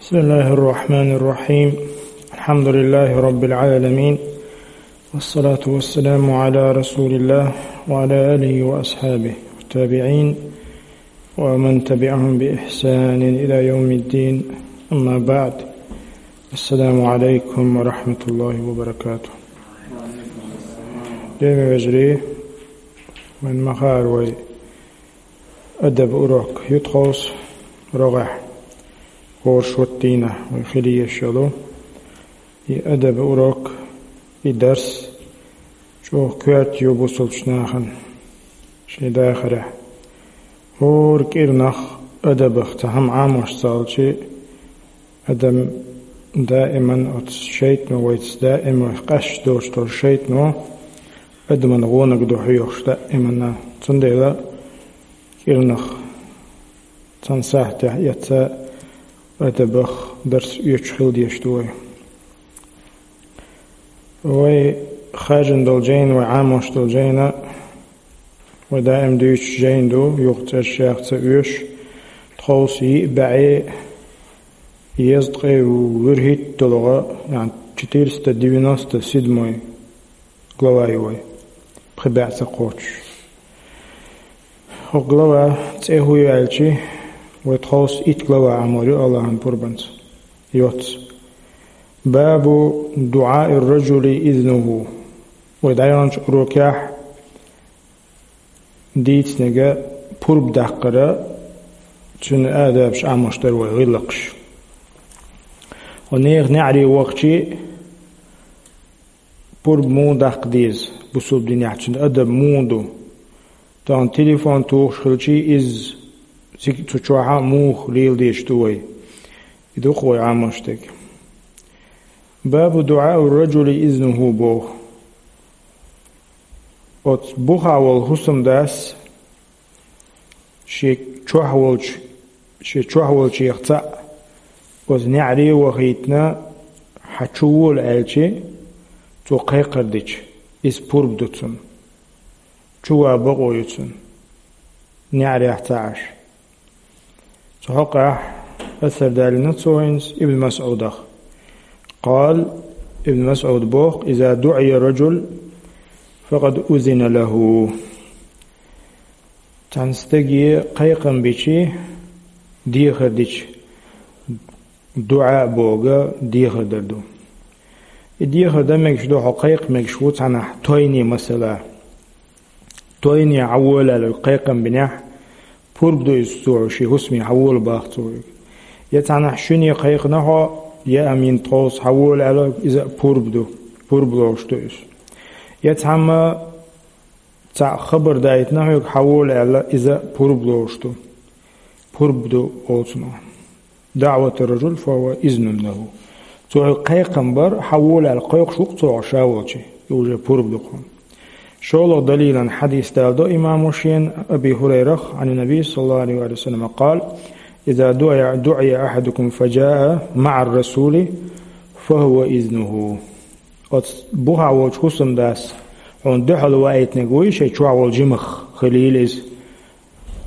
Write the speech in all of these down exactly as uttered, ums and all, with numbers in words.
بسم الله الرحمن الرحيم. الحمد لله رب العالمين. والصلاة والسلام على رسول الله وعلى آله وأصحابه والتابعين ومن تبعهم بإحسان إلى يوم الدين. أما بعد. السلام عليكم ورحمة الله وبركاته. Деми вежри, من مخار وي أدب урок ю тховса рогӀехь хӀора шот дийнахь вай хила езаш йолу. И адаб урок, и дарс чӀогӀа коьрта ю бусалбачу нахана шен дахарехь. ХӀора кӀирнах адабах цхьа хӀума Ӏамош ца хилча, адам даиман оцу шайтано вайца даиман къаьсташ доцуш долу шайтано адаман гӀонах ду хьоьхуш даиманна. Цундела кӀирнах цхьана сахьтехь эцца адабах дарс оьцуш хила дезаш ду вай. Вай хаьржина долу жайна, вай Ӏамош долу жайна, вай даим дуьйцуш жайна ду, юха цӀерш яха ца оьшу, тховса йиъ бӀе езткъе вуьрхӀитталгӀа, яъни четыреста девяносто седьмой глава ю вай, пхи бӀе ца кхочуш. ХӀокху глава цӀе хӀун ю аьлча, вай тховса итт глава Ӏамор ю Аллахьан пурбанца. Йоцца. باب دعاء الرجل إذنه. Вай дӀаяханчу урокехь дийцинарг пурба даккхар, цуьнан адабаш Ӏамош дара вай гӀиллакхаш. Хьо нехан неӀаре вахча, пурба муха даккха деза бусалба динехь, цуьнан адаб муха ду? Тахана телефон тухуш хилча, иза цига цу чохь муха лела дезаш ду вай? И ду-кх вай Ӏамош дерг. باب دعاء الرجل إذنه боху. Оцу бухахь волу хӀусамдас шен чохь волчу, шен чохь волчех цхьаъ оцу неӀаре а вахийтина, хьан чу вола аьлча, цо кхайкхар дича, иза пурба ду цунна. Чу ван бакъо ю цунна, неӀарехь ца Ӏаш. Цу хьокъехь асар далийна цо хӀинца Ибн МасӀудах. قال, Ибн МасӀуда боху: إذا دعي الرجل فقد أذن له. Цхьана стаге кхайкхам бича, дехар дича, дуӀа бохург дехар дар ду. И дехар дан мегаш ду, хьо кхайкха мегаш ву цхьанхьа тойне, масала. Тойне хьан вола аьлла кхайкхам бинехь, пурба ду иза цо, шен хӀусаме хьан вола боху цо. Я цхьанхьа шуьне кхайкхина хьо, я амин тховса хьан вола аьлла, иза а пурба ду, пурба лоруш ду иза. Я цхьамма цхьаъ хабар дайтина хьоьга хьан вола аьлла, иза а пурба лоруш ду. Пурба ду олу цунах. دعوة الرجل فهو إذن له. Цо хьоьга кхайкхам бар, хьан вола аьлла кхойкхуш ву-кх цо хьо ша волчу, и уже пурба ду-кх хьуна. ШолгӀа далилан хьадис даладо имамо шена Аби ХӀурайрах, عن النبي صلى الله عليه وسلم قال: إذا دعي، دعي أحدكم فجاء مع الرسول فهو إذنه. Оцу бухахь волчу хӀусамдас хьуна дуьхьал ваийтинарг вуй, шайн чохь волу жимах хилийла иза.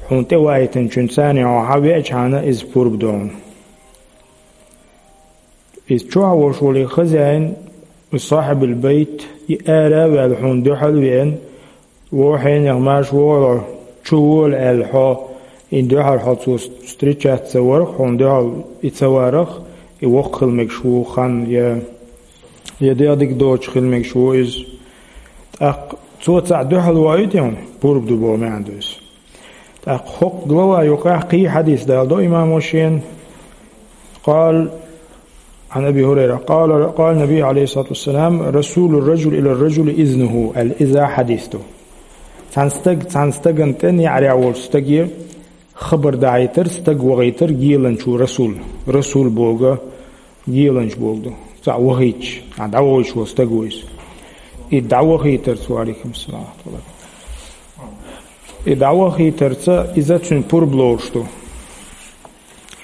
Хьуна тӀе ваийтинчуьнца цхьаьна хьо хьан веачхьана, иза пурба ду хьуна. Иза чохь волуш волу хозяин, и сахьибул байт, и ара а ваьлла хьуна дуьхьал а веана, вон хьенех маьрша вогӀийла, чу вола аьлла хьо, и дуьхьал хьо цо встречаться варах, хьуна дуьхьал и ца варах, и воккха хила мегаш ву хан, я, я дегӀ дика доцуш хила мегаш ву иза. ТӀаккха цо цхьаъ дуьхьал ваийтина, пурба ду боху маьӀна ду иза. ТӀаккха хӀокху глава юкъахь кхин хьадис даладо имамо шена. قال عن أبي هريرة قال، قال النبي عليه الصلاة والسلام: رسول الرجل إلى الرجل إذنه. Аьлла, иза хьадис ду. Цхьана стаг, цхьана стагана тӀе неӀарехь волчу стаге хабар дахьийтар, стаг вахийтар геланчо расул. Расул бохург геланча бохург ду. Цхьаъ вахийташ, а, дӀавахийташ волу стаг ву иза. И дӀавахийтарца, ва алейкум салам, и дӀавахийтарца иза цуьнан пурба лоруш ду.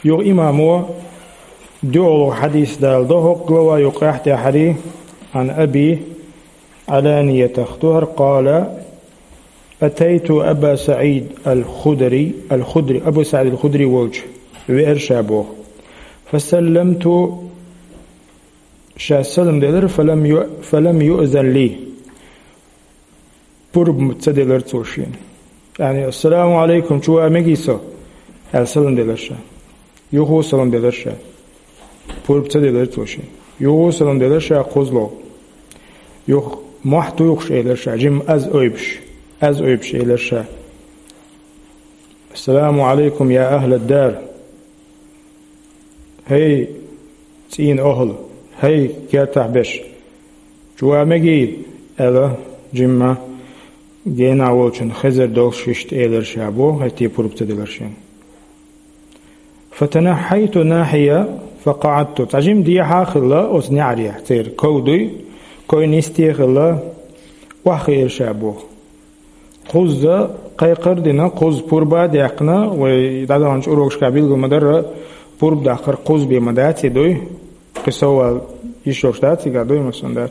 Юха имамо дуьхьало хьадис даладо хӀокху глава юкъахь тӀаьхьарий, عن أبي علانية ду хӀара, قال: أتيت أبا سعيد الخدري، الخدري، Абу СаӀид ал-Худри волчу веара ша боху. فسلمت, ша салам делар, فلم يؤ-, فلم يؤذن لي, пурба ца делар цо шена. Яъни, «Ассаламу Ӏалайкум, чу ваха мегий со?» аьлла салам делар ша. Юха салам делар ша. Пурба ца делар цо шена. Юха салам делар ша кхозлагӀа. Юха мохь тухуш элар ша, жимма аз ойбуш, аз ойбуш элар ша: «السلام عليكم يا أهل الدار». «ХӀей, цӀийнан охӀла! ХӀей, кертахь берш! Чу ваха мегий?» аьлла, жимма генахь волчун хезар долуш иштта элар ша боху, хӀетте пурба ца делар шена. «فتنحيت ناحية فقعدت». Цхьа жимма дехьа а хилла оцу неӀарехь, церан ков дуй, ков нисте а хилла, охьахиира ша боху. Кхузза кхайкхар а дина, кхузза пурба а даьккхина, вай дӀадаханчу урокашкахь билгал ма-дарра, пурба даккхар кхузза бен ма дац и дуй, кхин соввала йиш йолуш дац и, дуй, масала, дац.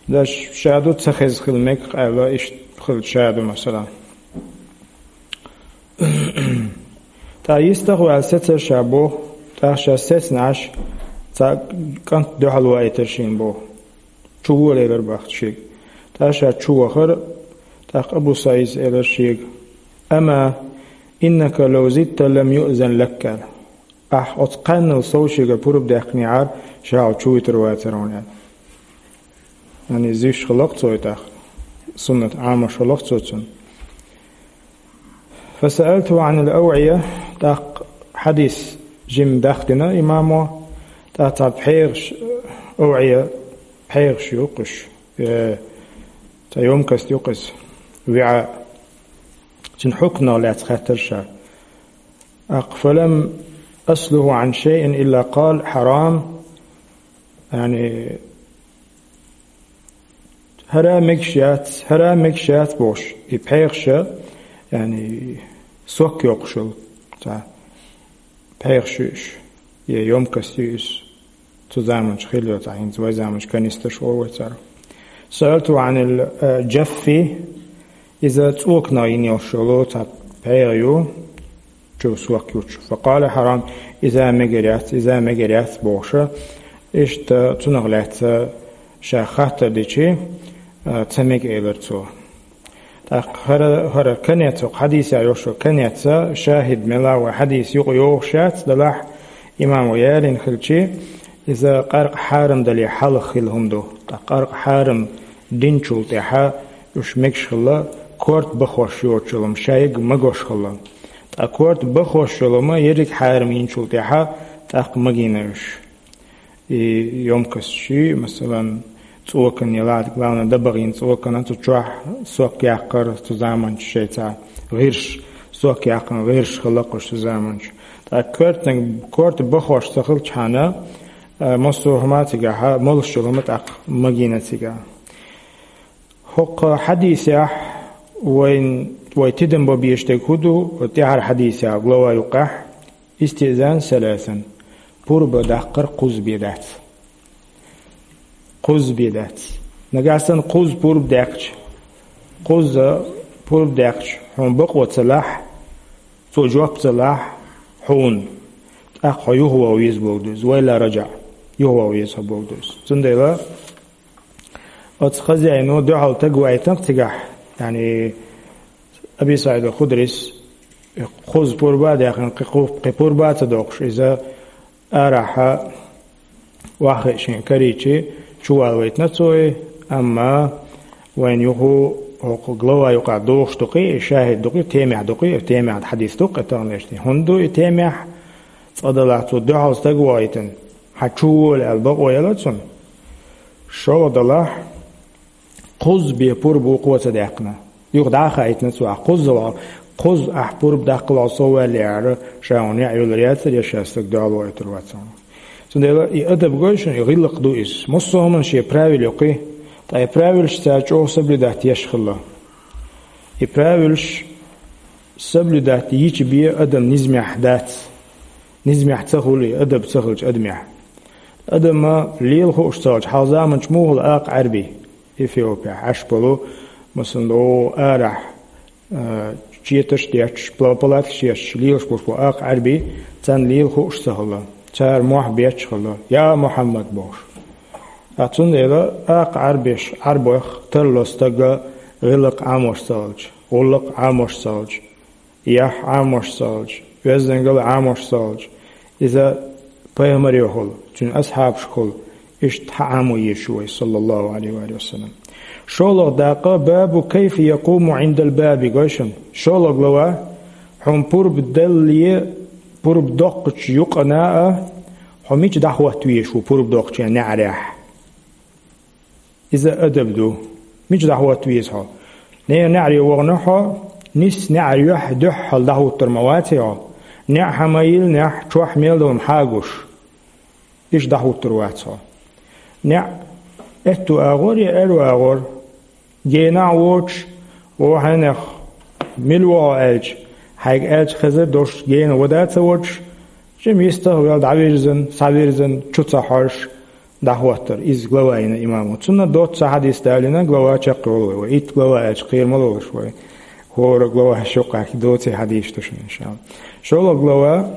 Даш ша ду ца хезна хила мега аьлла, иштта хилча ша ду, масала. ТӀаккха йистах а ваьлла сецара ша боху, тӀаккха ша сецна Ӏаш, цхьа кӀант дуьхьал ваийтира шена боху. Чу волаелар боху шега. ТӀаккха ша чу вахара, тӀаккха Абу СаӀида элира шега: «أما إنك لو زدت لم يؤذن لك», аьлла. Ахь оцу кхаьннал сов шега пурба даьккхинехьара, ша хьо чу витар вацара хьуна, аьлла. Яъни, зуьйш хилла-кх цо и тӀаккха. Суннат Ӏамош хилла-кх цо цунна. «فسألته عن الأوعية», тӀаккха хьадис жимма дахдина имамо, тӀаккха цхьа пхьегӀаш, овӀия, пхьегӀаш ю-кх уьш, э, цхьа ёмкость ю-кх иза, виӀа. Цуьнан хьукманах лаьцна хаьттира ша. ТӀаккха: «فلم أسله عن شيء إلا قال: حرام». Яъни, хӀара мегаш яц, хӀара мегаш яц бохуш, и пхьегӀаш, яъни, сок йоккхуш йолу цхьа пхьегӀаш ю уьш, я ёмкость ю иза. Цу заманчу хилла йолу цхьа, хӀинца вай заманчу канистраш олу вай цара. «سألته عن الجف», иза цӀоканах йина йолуш йолу цхьа пхьегӀа ю, чу сок йолуш. «فقال: حرام», иза мегар яц, иза мегар яц бохуша, иштта цунах лаьцна ша хаттар дичи, а, ца мега элира цо. ТӀаккха хӀара, хӀара конец, хӀокху хьадисехь йолуш йолу конец, шахид мела вай хьадис юкъа йогӀуш яц, делахь имамо ялийна хилчи, иза къаркъа хьарам дале хьалха хилла хӀума ду. ТӀаккха къаркъа хьарам динчул тӀаьхьа уьш мегаш хилла, корта бахош йоцуш йолу хӀума шайга магош хилла. Ткъа корта бахош йолу хӀума ерриг хьарам йинчул тӀаьхьа тӀаккха магийна уьш. И ёмкосташ, масалан, цӀокан ялахь, главное, дабагӀа йина цӀокан, цу чохь сок яккхар, цу заманчу шайца гӀирс, сок яккхар гӀирс хилла-кх уьш цу заманчу. ТӀаккха коьртаниг, корта бахош ца хилчхьана, а, массо а хӀума цигахь, молуш йолу хӀума тӀаккха магийна цигахь. ХӀокху хьадисехь вайн, вай тидам бан безаш дерг хӀун ду, тӀаьхьара хьадисехь, глава юккъехь: «استئذان ثلاثا», пурба даккхар кхузза бен дац. Кхузза бен дац. Нагахь санна кхузза пурба даьккхича, кхузза пурба даьккхича, хьуна бакъо ца лахь, цо жоп ца лахь хьуна, тӀаккха хьо юхаваха веза бохург ду иза, «وإلا رجع», юхаваха веза хьо бохург ду иза. Цундела оцу хозяино дуьхьал стаг вайтина-кх цигахь, яъни, Аби СаӀид ал-Худрис, кхузза пурба а даьккхина, кхин кху-, кхин пурба а ца доккхуш, иза арахьа охьахиъна шен карийчи, чувала вайтина цо и, амма вайна юха хӀокху глава юкъахь дохуш ду-кх и, шахид ду-кх и, темехь ду-кх и, темехь хьадис ду-кх и таханлерчу дийнахь. ХӀунда ду и темехь? Цкъа делахь цо дуьхьал стаг вайтина, хьан чу вола аьлла бакъо елла цунна. ШолгӀа делахь, кхузза бен пурба вукхо а ца даьккхина. Юха дӀа а хаийтина цо, ахь кхузза вахь, кхузза ахь пурба даккхалахь, со ваьллехьара, ша хьуна неӀ йолур яцара, я ша стаг дуьхьал вайтур вацара. Цундела и адаб гой шуна, и гӀиллакх ду иза. Массо а хӀуманна шен правила ю-кх и, ткъа и правилаш цара чӀогӀа соблюдать еш хилла. И правилаш соблюдать йича бен адам низамехь дац. Низамехь ца хуьлу и, адаб ца хилча адамехь. Адама лела хууш ца хилча, хьалха заманчу муха хуьлу акха Ӏаьрби? Эфиопехь Ӏаш болу, масала, о, арахь, а, четаш детташ, пла-, палаткаш етташ, лелаш болуш болу акха Ӏаьрби, царна лела хууш ца хилла. цара мохь бечхала, «Я Мухьаммад», бохуш. Ткъа цундела акха Ӏарбеш, Ӏарбойх тарло стага гӀиллакх Ӏамош ца хилча, гӀуллакх Ӏамош ца хилча, яхь Ӏамош ца хилча, оьздангалла Ӏамош ца хилча, иза пайхамарехула, цуьнан асхьабашкахула, иштта хьаӀамо езаш ву вай, саллаллаху Ӏалайхи ва саллам. ШолгӀа дакъа, бабу кайфа якъуму Ӏиндал баби, гой шуна. ШолгӀа глава, хьуна пурба делле, пурба доккхучу юкъана а, хьо мича дӀахӀотта везаш ву пурба доккхучу неӀарехь. Иза адаб ду. Мича дӀахӀотта веза хьо? Нехан неӀаре вахана хьо, нисса неӀар юьхь дуьхьал дӀахӀуттур ма ваций хьо? НеӀ хьан ма йиллинехь, чохь мел долу хьагуш. Иштта дӀахӀуттур вац хьо. НеӀ аьтту агӀор я аьрру агӀор, генахь а воцуш, о хьенех, мила ву хьо аьлча, хьайга аьлча хезар долуш гена вада а ца воцуш, жима йистах а ваьлла дӀавирзина, схьавирзина, чу ца хьожуш, дӀахӀоттар. Иза глава йина имамо. Цунна доцца хьадис далийна, глава чекхйолу вай. Вай итт глава аьлча кхера ма лолаш вай. ХӀора глава шо къахь доций хьадис ду шуна, иншалла. ШолгӀа глава,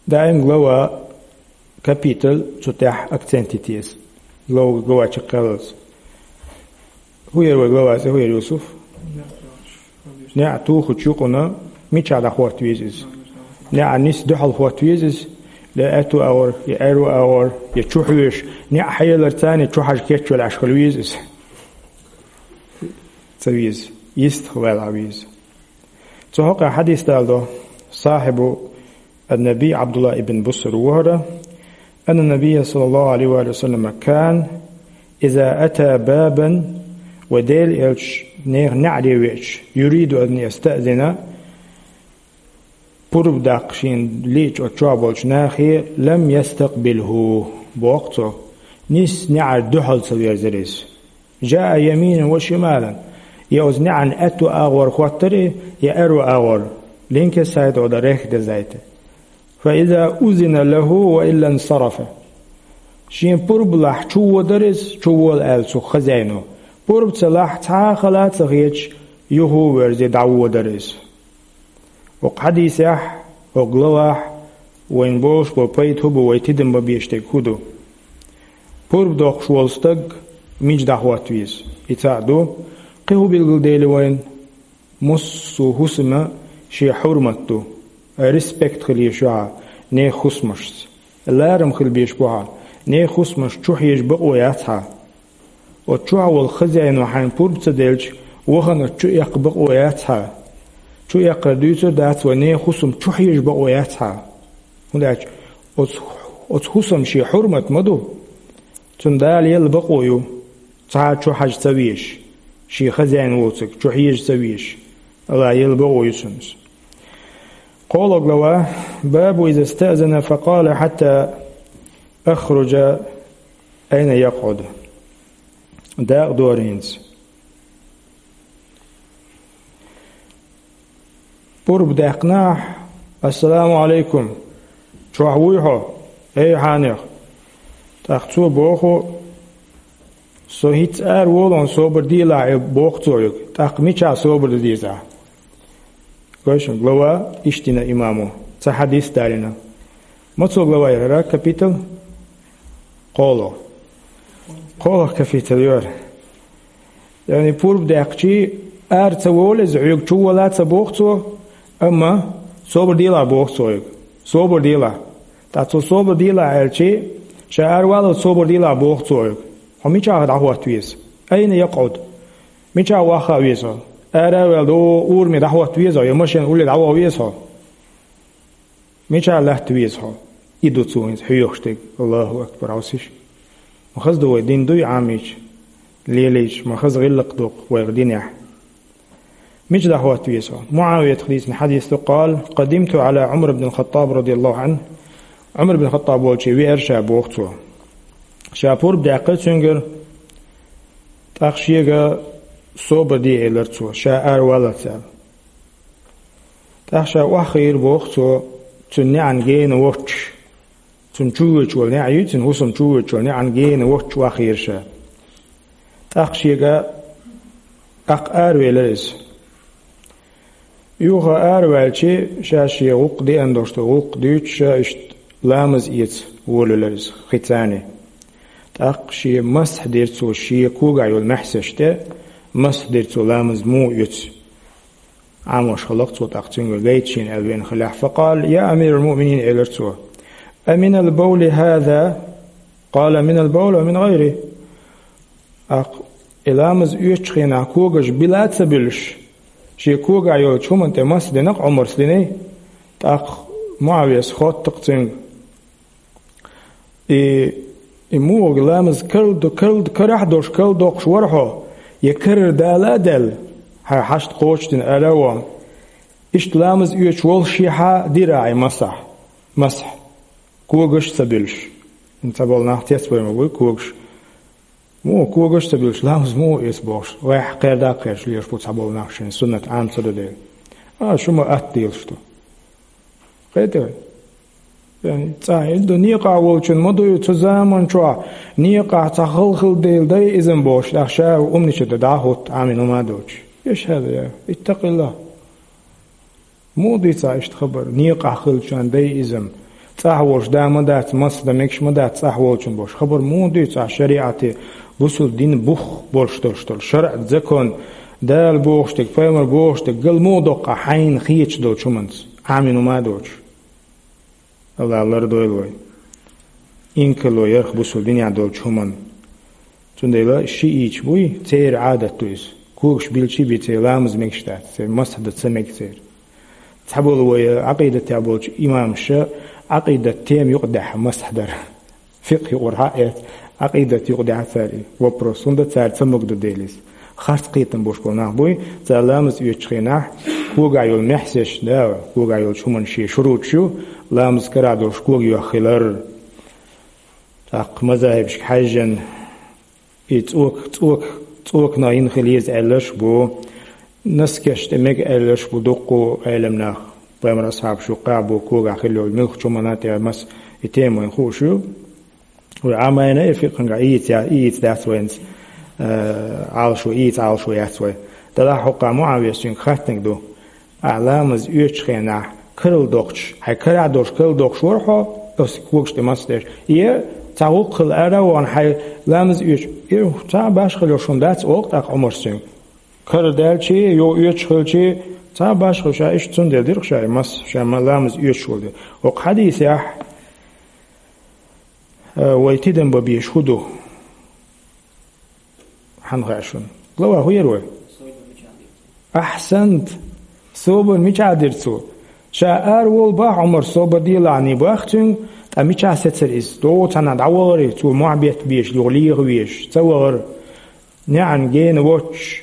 даим глава, капитал, цу тӀехь акцент йита еза. Глава, глава чекхъяллалц. ХӀун яра вай глава цӀе, хӀун яра, Юсуф? НеӀ тухучу юкъана мичахь дӀахӀотта веза иза? НеӀ нисса дуьхьал хӀотта веза иза? Я аьтту агӀор, я аьрру агӀор, я чу хьоьжуш, неӀ хьаелларца а чу хьажа кечвелла Ӏаш хила веза иза? Ца веза. Йистах ваьлла веза. Цу хьокъехь хьадис даладо сахьибу ан-Наби Абдулла ибн Буср ву хӀара, анна Набия саллаллаху Ӏалайхи ва саллама кан, иза ата бабан, вай Делан элча нехан неӀаре веача, юриду ан ястаъзина, пурба даккха шена лиъча оцу чохь болчу нахе, лам ястакъбилхӀу, боху цо, нисса неӀар дуьхьал ца верзира иза. Жаа яминан ва шималан. Я оцу неӀан аьтту агӀор хӀоттара, я аьрру агӀор. Линкес сайта ода рех дезайта. Фа иза узина лаху ва илла нсарафа. Шен пурба лахь чу водар иза, чу вола аьлла цу хазяйно. Пурба ца лахь, цхьа а хала а ца хеташ, юха а верзе дӀаводар иза. ХӀокху хьадисехь, хӀокху главахь вайна болуш болу пайда хӀун бу, вай тидам бан безаш дерг хӀун ду? Пурба доккхуш волу стаг мича дӀахӀотта веза? И цхьаъ ду. Кхин хӀун билгалдели вайна? Массо а хӀусама шен хьурмат ду, респект хила езаш ю хьан нехан хӀусамашца. Ларам хила безаш бу хьан, нехан хӀусамаш чу хьежа бакъо яц хьан. Оцу чохь волу хазяйно хьайна пурба ца делча, вахана оцу чу эккха бакъо яц хьан. Чу эккхар дуьйцур дац вай, нехан хӀусам чу хьежа бакъо яц хьан. ХӀунда аьлча оцу, оцу хӀусам шен хьурмат ма ду. Цунна Дала елла бакъо ю, цхьа а чу хьажа ца везаш, шен хазяйна воцург чу хьежа ца везаш. Аллах елла бакъо ю цунна. КхоалгӀа глава, бабу иза стаъзана факъала хьатта ахружа айна якъуд. Дакъа дора хӀинца. Пурба даьккхинехь, ассаламу Ӏалайкум, чохь вуй хьо, эй хьенех? ТӀаккха цо боху, со хӀинцца ара волу, собар делахь, боху цо уьга. ТӀаккха мичахь собар дан деза? Гой шуна, глава иштта дина имамо, цхьа хьадис далийна. Мацо глава яра, капитал? КхоалгӀа. КхоалгӀа капитал яра. Яъни пурба даьккхича, ара ца волу иза, хьоьга чу вола ца боху цо, амма собар делахь боху цо хьоьга. Собар делахь. ТӀаккха цо собар делахь аьлча, ша ара валлалц собар делахь боху цо хьоьга. Хьо мичахь дӀахӀотта веза? Айна якъуд? Мичахь ваха веза хьо? Ара а ваьлла, до, ураме дӀахӀотта веза хьо, я машен улле дӀаваха веза хьо? Мичахь латта веза хьо? И ду цо хӀинца хьоьхуш дерг. Аллаху акбар, Ӏосиш. Ма хаза ду вай дин дуй Ӏамийча, лелийча, ма хаза гӀиллакх доккху вайх динехь. Мича дӀахӀотта веза хьо? МуӀавиятах дийцина хьадис ду, къала, къадимту Ӏала Ӏумар ибн ал-Хаттаб радияллаху Ӏанху. Ӏумар ибн Хаттаб волчу веара ша, боху цо. Ша пурба даьккхира цуьнгара, тӀаккха шега собар де элира цо, ша ара валлалц аьлла. ТӀаккха ша охьахиира, боху цо, цуьнан неӀан гена воцуш. Цуьнан чувоьдуш волу неӀ ю, цуьнан хӀусам чувоьдуш волу неӀан гена воцуш охьахиира ша. ТӀаккха шега тӀаккха аравелира иза. Юха араваьлча, ша шен гӀуллакх деана долуш ду, гӀуллакх дуьйцуш, ша иштта ламаз эца волавелира иза хи царний. ТӀаккха шен масхь дира цо, шен когахь йолу маьхьсаш тӀе масхь дира цо, ламаз муха оьцу. Ӏамош хилла-кх цо, тӀаккха цуьнга гайта шена аьлла веана хилла. «Факъала, я амирал муъминин», — элира цо. «Аминал бавли хӀаза?» Къала: «Минал бавли ва мин гӀайрихӀ». ТӀаккха и ламаз оьцучу хенахь когаш била а ца буьллуш, шен когахь йолчу хӀуманна тӀе масхь дина-кх Ӏумара, динарг. ТӀаккха МуӀавияс хотту-кх цуьнга: «И, и муха ламаз карла до-, карла, карахь а долуш карладоккхуш вара хьо, я карара дала а даьлла, хьайн хьашт кхочушдина ара а вахана, иштта ламаз оьцуш воллушехь а дира ахь и масхь, масхь, когаш а ца буьллуш?» Цхьаболу нах цецбевр ма буй когаш. Муха когаш а ца буьллуш, ламаз муха эца бохуш, вайх кхерда а кхерча лелаш бу цхьаболу нах, шайн суннат Ӏама ца до дела. А, шу ма атта делаш ду. Кхетий вай? Яъни, цӀахь хӀинца ду, некъахь волчун ма дуй цу заман чохь, некъахь цхьа хала хилла дела дайизам бохуш, тӀаккха ша умнича дан дӀа а хӀутту, Ӏамийна хӀума а доцуш. Эш хӀаза я, иттакъилла. Муха дуьйцу ахь иштта хабар, некъахь хиллачарна дайизам? ЦӀахь волуш да ма дац, масхь дан мегаш ма дац цӀахь волчун бохуш. Хабар муха дуьйцу ахь шариӀате, бусулба дин бух болуш долуш долу шарӀ, закон, Дала бохуш дерг, пайхамар бохуш дерг, гал муха доккху ахь хьайна хеташ долчу хӀуманца, Ӏамийна хӀума а доцуш? Аллах лардойла вай инкарло ярх бусулба динехь долчу хӀуманна. Цундела шиъийча буй, церан Ӏадат ду иза. Когаш билчий а бий, церан ламаз мегаш дац, церан масхь дан ца мега церан. Цхьаболу вай Ӏакъидатехь болчу имамаша Ӏакъидат тема юкъадаьхьа масхь дар. Фикъхь юкъара хьаэца, Ӏакъидат юкъадаьхьа цара и вопрос, хӀунда цара ца магадо дела иза. Харц кхетам болуш болу нах буй, цара ламаз оьцучу хенахь когахь йолу маьхьсаш, да, когахь йолчу хӀуманна шен шуруташ ю, ламаз карахь долуш ког йоьхна хилар. ТӀаккха мазахӀибашка хьаьжжина, и цӀока, цӀока, цӀоканах йина хила еза аьлларш а бу, носкаш тӀе мега аьлларш а бу дуккха Ӏеламнах, пайхамаран асхьабаш юккъехь а бу, когахь хилла йолу муьлххачу хӀуманна тӀе мас и тема вайна хууш ю. Вай Ӏамийна и фикъхьангахь ийца я-, ийца дац вайна, э, Ӏалашо, ийца Ӏалашо яц вай. Делахь хӀокху МуӀавияс цуьнга хаьттинарг ду: «Ахь ламаз оьцучу хенахь карладоккхуш, хьайн карахь долуш карладоккхуш вара хьо, оцу когаш тӀе масхь деш? Е цхьа гӀуллакх хилла ара а вахана, хьайн ламаз оьцуш, е цхьа башхалла йолуш хӀума дац?» — олу тӀаккха Ӏумарс цуьнга. Карара даьлчий, йо оьцуш хилчий, цхьа башхалла ша иштта цундела дира-кх ша и масхь, ша ма-, ламаз оьцуш волу дела. ХӀокху хьадисехь, э, вай тидам бан безаш хӀун ду? Хьанна хаьа шуна? Глава хӀун яра вай? Ахьсант! Собар мичахь дира цо? Ша ара волу боху Ӏумар, собар делахь, боху цуьнга, ткъа мичахь сецара иза? ДогӀу цхьанхьа дӀавахара, цо мохь бетта безаш, юха леха везаш, ца вахара. НеӀан гена воцуш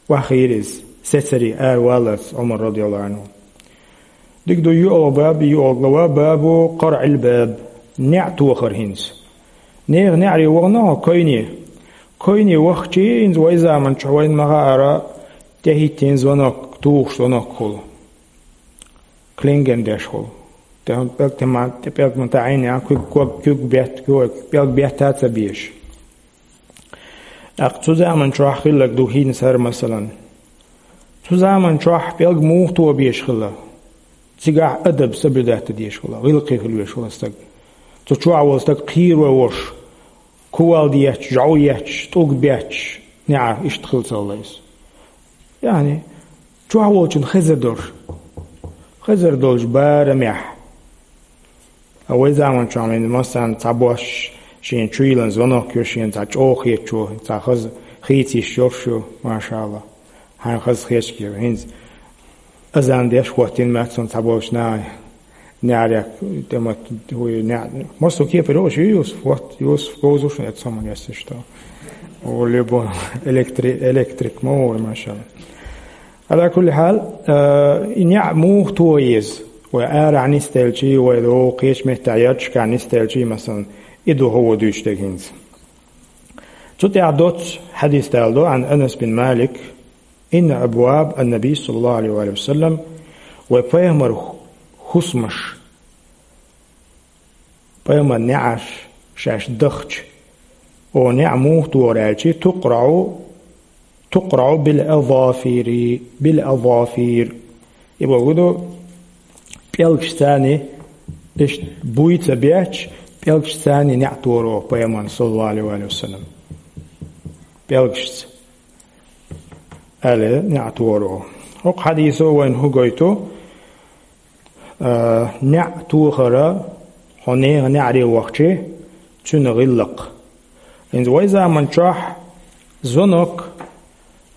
охьахиира иза, сецаре ара валлалц Ӏумар, радияллаху Ӏанху. Дика ду, йоьалгӀа баб, йоьалгӀа глава, бабу къарӀил баб, неӀ тохар хӀинца. Нехан неӀаре вахана хьо, койне. Койне вахчий, хӀинца вай заманчохь вайна ма-хаъара, тӀехӀиттина звонок, тухуш звонок хуьлу. Клинген деш хуьлу. ТӀе-, пӀелг тӀе ма-, тӀе пӀелг ма таӀийна, куьг, ког, куьг бетта, куьг, пӀелг бетта а ца безаш. ТӀаккха цу заманчохь хилларг ду хӀинца хӀара, масалан. Цу заманчохь пӀелг муха тоха безаш хилла? Цигахь адаб соблюдать дан дезаш хилла, гӀиллакхе хила везаш хилла стаг. Цу чохь волу стаг кхийра вай волуш, кувалда етташ, жӀов етташ, тӀулг бетташ, неӀарх иштта хилла ца хилла иза. Яъни, чохь волчун хезар долуш, хезар долчу барамехь. А вай заманчохь вайна массарна цхьабосса шена чуйиллина звонок йо, шена цхьа чӀогӀа хетачо, цхьа хаза хийца йиш йолуш ю, машаАллахӀ. Хьайна хаза хеташ кийра. ХӀинца азан деш хӀоттийна моьтту суна цхьаболчу наха. НеӀарехь тӀе ма-, хӀуй, неӀ-, массо кепара йолуш ю Юсуф, вот, Юсуф говза ву шуна эцу хӀуманна, если что. О, любой электри-, электрик ма ву вай, машаАллахӀ. Ала кулли хьал, э, и неӀ муха тоха еза? Вай арахь нисделчий, вай догӀу кхечу меттехь ярташкахь нисделчий, масалан, и ду хӀокхо дуьйцуш дерг хӀинца. Цу тӀехь доцу хьадис даладо, Ӏан Анас бин Малик, инна абваб ан-Наби саллаллаху Ӏалайхи ва саллам, вай пайхамар хӀусамаш, пайхамар неӀарш шаьш дахча, о, неӀ муха тохар аьлчий, тукъраӀу, тукъраӀу бил-азафири, бил-азафир. И боху ду, пӀелгашца царна, иштта буй ца беча, пӀелгашца царна неӀ торо пайхамарна, саллаллаху Ӏалайхи ва саллам. ПӀелгашца аьлла, неӀ торо. ХӀокху хьадисо вайна хӀу гойту, а, неӀ тохара, хьо нехан неӀаре вахча, цуьнан гӀиллакх. ХӀинца вай заман чохь звонок,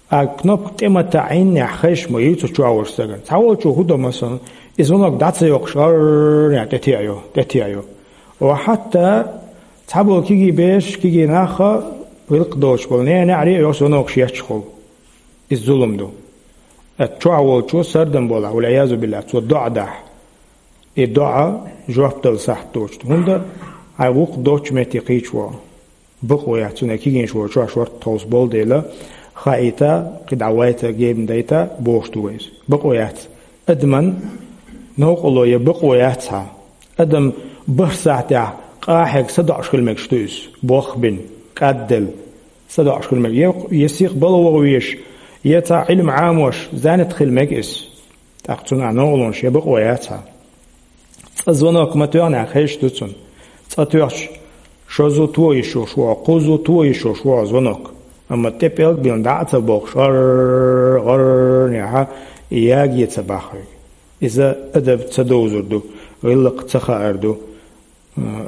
а кнопка тӀе ма таӀийнехь, хезаш ма ю цу чохь волчу стагана. Цхьаволчо хӀун до, масалан, и звонок дӀа ца йоккхуш, гӀарр-гӀарр-гӀарр тӀетеӀайо, тӀетеӀайо. Ва хьатта цхьаболу кегий бераш, кегий нах а, гӀиллакх доцуш болу нехан неӀаре а йоккхуш звонокаш етташ хуьлу. Иза зулам ду. Ткъа чохь волчо сардам болахь, валь-Ӏиязу биллахӀ, цо доӀа дахь. И доӀа жоп дала сахьт доцуш ду. ХӀунда, хьайн гӀуллакх доцучу метте кхийча ву. Бакъо яц цунна, кегийнаш волчохь шорта тховса болу дела, хаийта, кхидӀа вайта, гебна дайта, бохуш ду вай иза. Бакъо яц. Адаман новкъарло я бакъо яц хьан. Адам бархӀ сахьтехь къахьега садоӀуш хила мегаш ду иза. Бох бина, кӀадделла, садоӀуш хила мега. Я, я сиха бала ваха везаш, я цхьа Ӏилма Ӏамош, занят хила мега иза. ТӀаккха цунна новкъарлонаш я бакъо яц хьан. Цкъа звонок ма тоьхнехь, хезаш ду цунна. Цкъа тоьхча, шозза, тоьхча йиш йолуш ву хьо, кхузза, тоьхча йиш йолуш ву хьо звонок. Амма тӀе пӀелг биллина дӀа а ца бохкуш, гӀарр-гӀарр-гӀарр-гӀарр яхьа, и яге ца бахьа хьоьга. Иза адаб ца довзар ду, гӀиллакх ца хаар ду,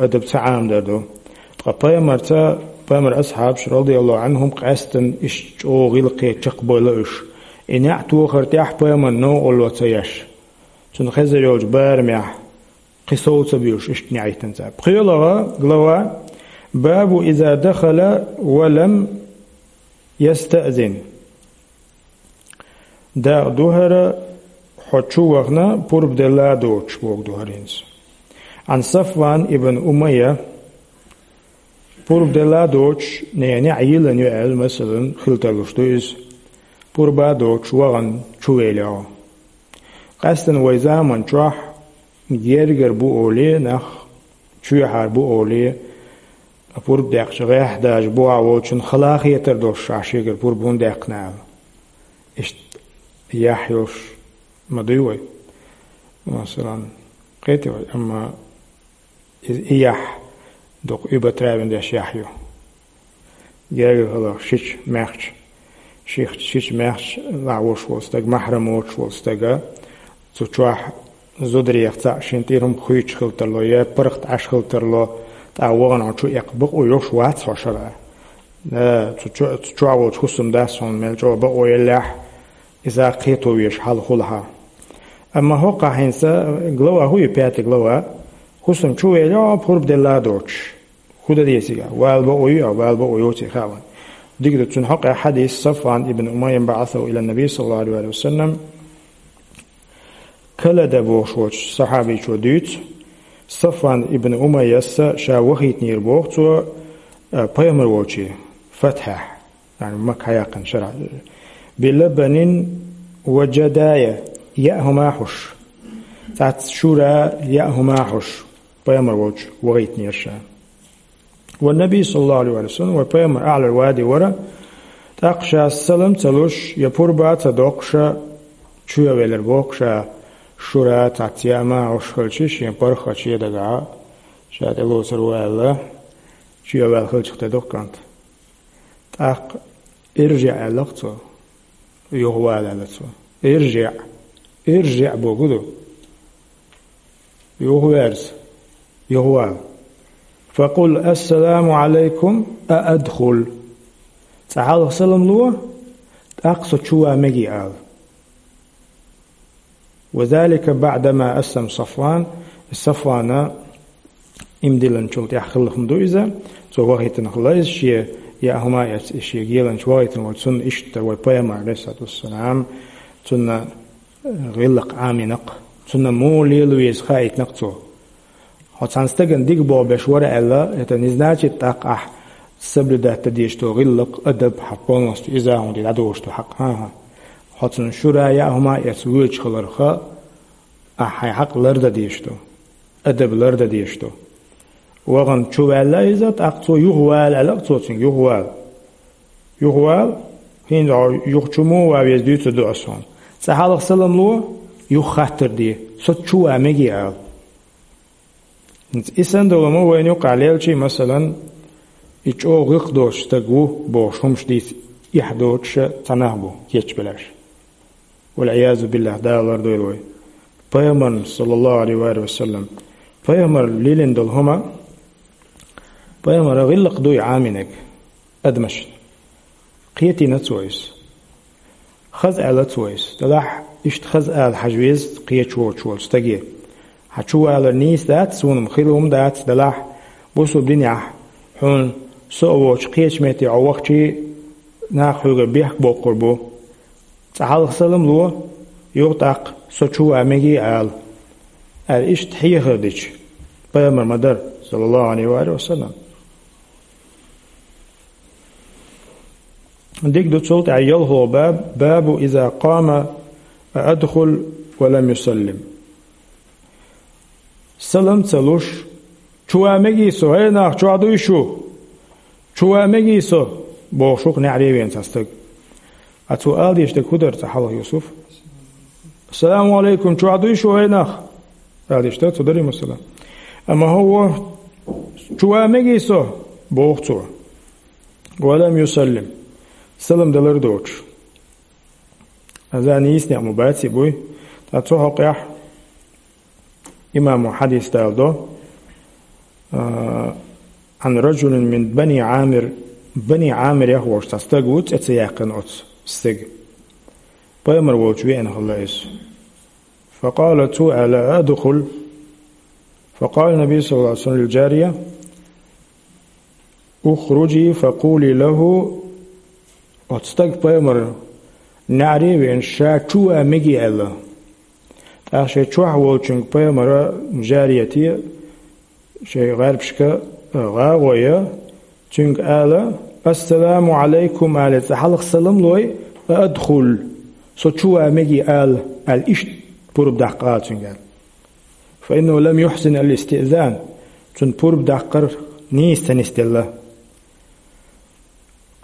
адаб ца Ӏамадар ду. Ткъа пайхамарца, пайхамаран асхьабаш, радияллаху Ӏанхум, къаьсттина иштта чӀогӀа гӀиллакхе чекхбевлла уьш. И неӀ тохар тӀехь пайхамарна новкъарло ца еш, цунна хезар йолчу барамехь кхин сов ца буьйлуш, иштта неӀиттина цара. ПхоьалгӀа глава: «Бабу иза дахала ва лам ястаъзин». Дакъа ду хӀара, хьо чу вахана, пурба делла а доцуш, боху ду хӀара хӀинца. Ӏан Сафван ибн Умайя, пурба делла а доцуш, нехан неӀ йиллина ю аьлла, масалан, хила тарлуш ду иза. Пурба а доцуш вахана чу велахь хьо. Къаьсттина вай заман чохь гергара бу олий нах, чоьхьара бу олий, пурба декъча гӀехь дажа бухахь волчун хала хетар долуш, ахь шегара пурба хӀунда даьккхина аьлла. Иштта яхь йолуш ма дуй вай. Масалан, кхетий вай, амма и, и яхь дукха уьбатравина деш яхь ю. Гергара хала шича маьхча, ших-, шича маьхча лахьош волу стаг, махьрам воцуш волу стага, цу чохь зударех цхьаъ шен тӀера хӀума хуьйцуш хила тарло, я паргӀат Ӏаш хила тарло, тӀаккха вахана хьо чу эккха бакъо йолуш вац хьо шарӀа. Э, цу чо-, цу чохь волчу хӀусам дац хьуна мел чӀогӀа бакъо еллехь, иза кхето везаш хьал хуьлу хьан. Амма хӀокхахь хӀинца глава хӀу ю, пятая глава, хӀусам чу велахь хьо, пурба делла а доцуш. ХӀун дан деза иза? Вала бакъо ю, вала бакъо йоций хаьа вайн. Дика ду, цуьнан хьокъехь хьадис, Сафван ибн Умайя: «بعثه إلى النبي صلى الله عليه وسلم». Калада бохуш волчу сахьабичо дуьйцу, Сафван ибн Умайяс ша вахийтинера боху цо, а, пайхамар волчу фатхьехь, яъни Макка хьаяккхина шарахь, «билабанин ва джадая», яа хӀума хьуш, цхьацца шура, яа хӀума хьуш, пайхамар волчу вахийтинера ша. Ва Наби, саллаллаху алейхи ва саллям, вай пайхамар, а'лал вади вара, тӀаккха ша салам ца луш, я пурба ца доккхуша, чу а велира боху ша, шура цхьацца яа хӀума хьуш хилча, шен паргӀатчу дагахь, ша тӀелоцур ву аьлла, чу а ваьлла хилча тӀедоккху кӀант. ТӀаккха «иржиӀ» аьлла-кх цо, юхавала аьлла цо. «ИржиӀ, иржиӀ» боху ду. Юхаверза, юхавала. «Факъул: ассаламу алайкум, а адхул». Цкъа хьалха салам ло, тӀаккха со чу ван мегий ала. «Ва залика баъдама аслам Сафван». Сафвана ийман диллинчул тӀаьхьа хилла хӀума ду иза. Цо вахийтина хилла иза, шен яа хӀума эцна, шен геланча вахийтина волчу, цунна иштта вай пайхамар, алейхиссалату вассалам, цунна гӀиллакх Ӏамийнакх, цунна муха лела веза хаийтинакх цо. Хьо цхьана стагана дика боху беш вара аьлла, это не значит, тӀаккха ахь соблюдать дан дезаш долу гӀиллакх, адаб хьан полностью иза хӀума де дӀадолуш ду хьакъ. ХӀан-хӀа. Хьо цунна шура яа хӀума эцна воьдуш хиларх, ахь хьайн хьакъ лардан дезаш ду, адаб лардан дезаш ду. Вахана чу ваьлла иза, тӀаккха цо юхавала аьлла-кх цо цуьнга, юхавала. Юхавала, хӀинца хьо юха чу муха ван веза дуьйцур ду ас хьуна. Цкъа хьалха салам ло, юха хаттар де, со чу ван мегий ала. ХӀинца и санна долу ма вайна юкъахь лелчий, масалан, и чӀогӀа гӀиллакх доцу стаг ву бохуш хӀумаш дийца эхь доцуша цхьа нах бу кечбеллаш. Валъиязу биллахь, Дала лардойла вай. Пайхамарна, саллаллаху алейхи ва саллям, пайхамар лелийна долу хӀума, пайхамара гӀиллакх дуй Ӏамийнарг адамашна. Кхетийна цо иза. Хаза аьлла цо иза. Делахь, иштта хаза ала хьажа веза кхечу воцуш волчу стаге. Хьан чу валар нийса дац, суна-м хила хӀума дац, делахь, бусулба динехь хьуна со а воцуш кхечу метте хьо вахчий, нах хьоьга бехк боккхур бу. Цкъа хьалха салам ло, юха тӀаккха со чу ван мегий ала, аьлла, иштта хьехар дича, пайхамар ма дара, саллаллаху алейхи ва саллям. Дика ду цул тӀаьхьа ялхо баб, бабу иза къама а адхул ва лам юсаллим. Салам ца луш, чу ван мегий со, хӀей нах, чохь дуй шу? Чу ван мегий со, бохуш ву-кх неӀаре веана цхьа стаг. А цо ала дезаш дерг хӀун дара цкъа хьалха, Юсуф? Ассаламу алейкум, чохь дуй шу, хӀей нах? Ала дезаш дара цо, дарий масала. Амма хӀун ву, чу ван мегий со, боху цо. Ва лам юсаллим. Салам далар доцуш. Аза нийса некъ ма бац и буй. Ткъа цу хьокъехь имамо хьадис даладо, а, Ӏан раджулин мин бани Ӏамир, бани Ӏамирех волуш цхьа стаг ву, цӀе ца яьккхина оцу стеган. Пайхамар волчу веана хилла иза. Факъала, цо аьлла, адхул. Факъала Наби саллаллаху алейхи ва саллям лил джария, ухруджи факъули лаху, оцу стага пайхамар неӀаре а веана, ша чу ван мегий аьлла. ТӀаккха шайн чохь волчуьнга пайхамара, жарияте, шайн гӀарбашка, гӀагӀо я, цуьнга ала, ассаламу алейкум, ала, цкъа хьалха салам лой, а адхул, со чу ван мегий ала, аьлла, иштта пурба даккха ала цуьнга аьлла. Фа иннаху лам юхсин ал-истиъзан, цунна пурба даккхар нийса ца нисделла.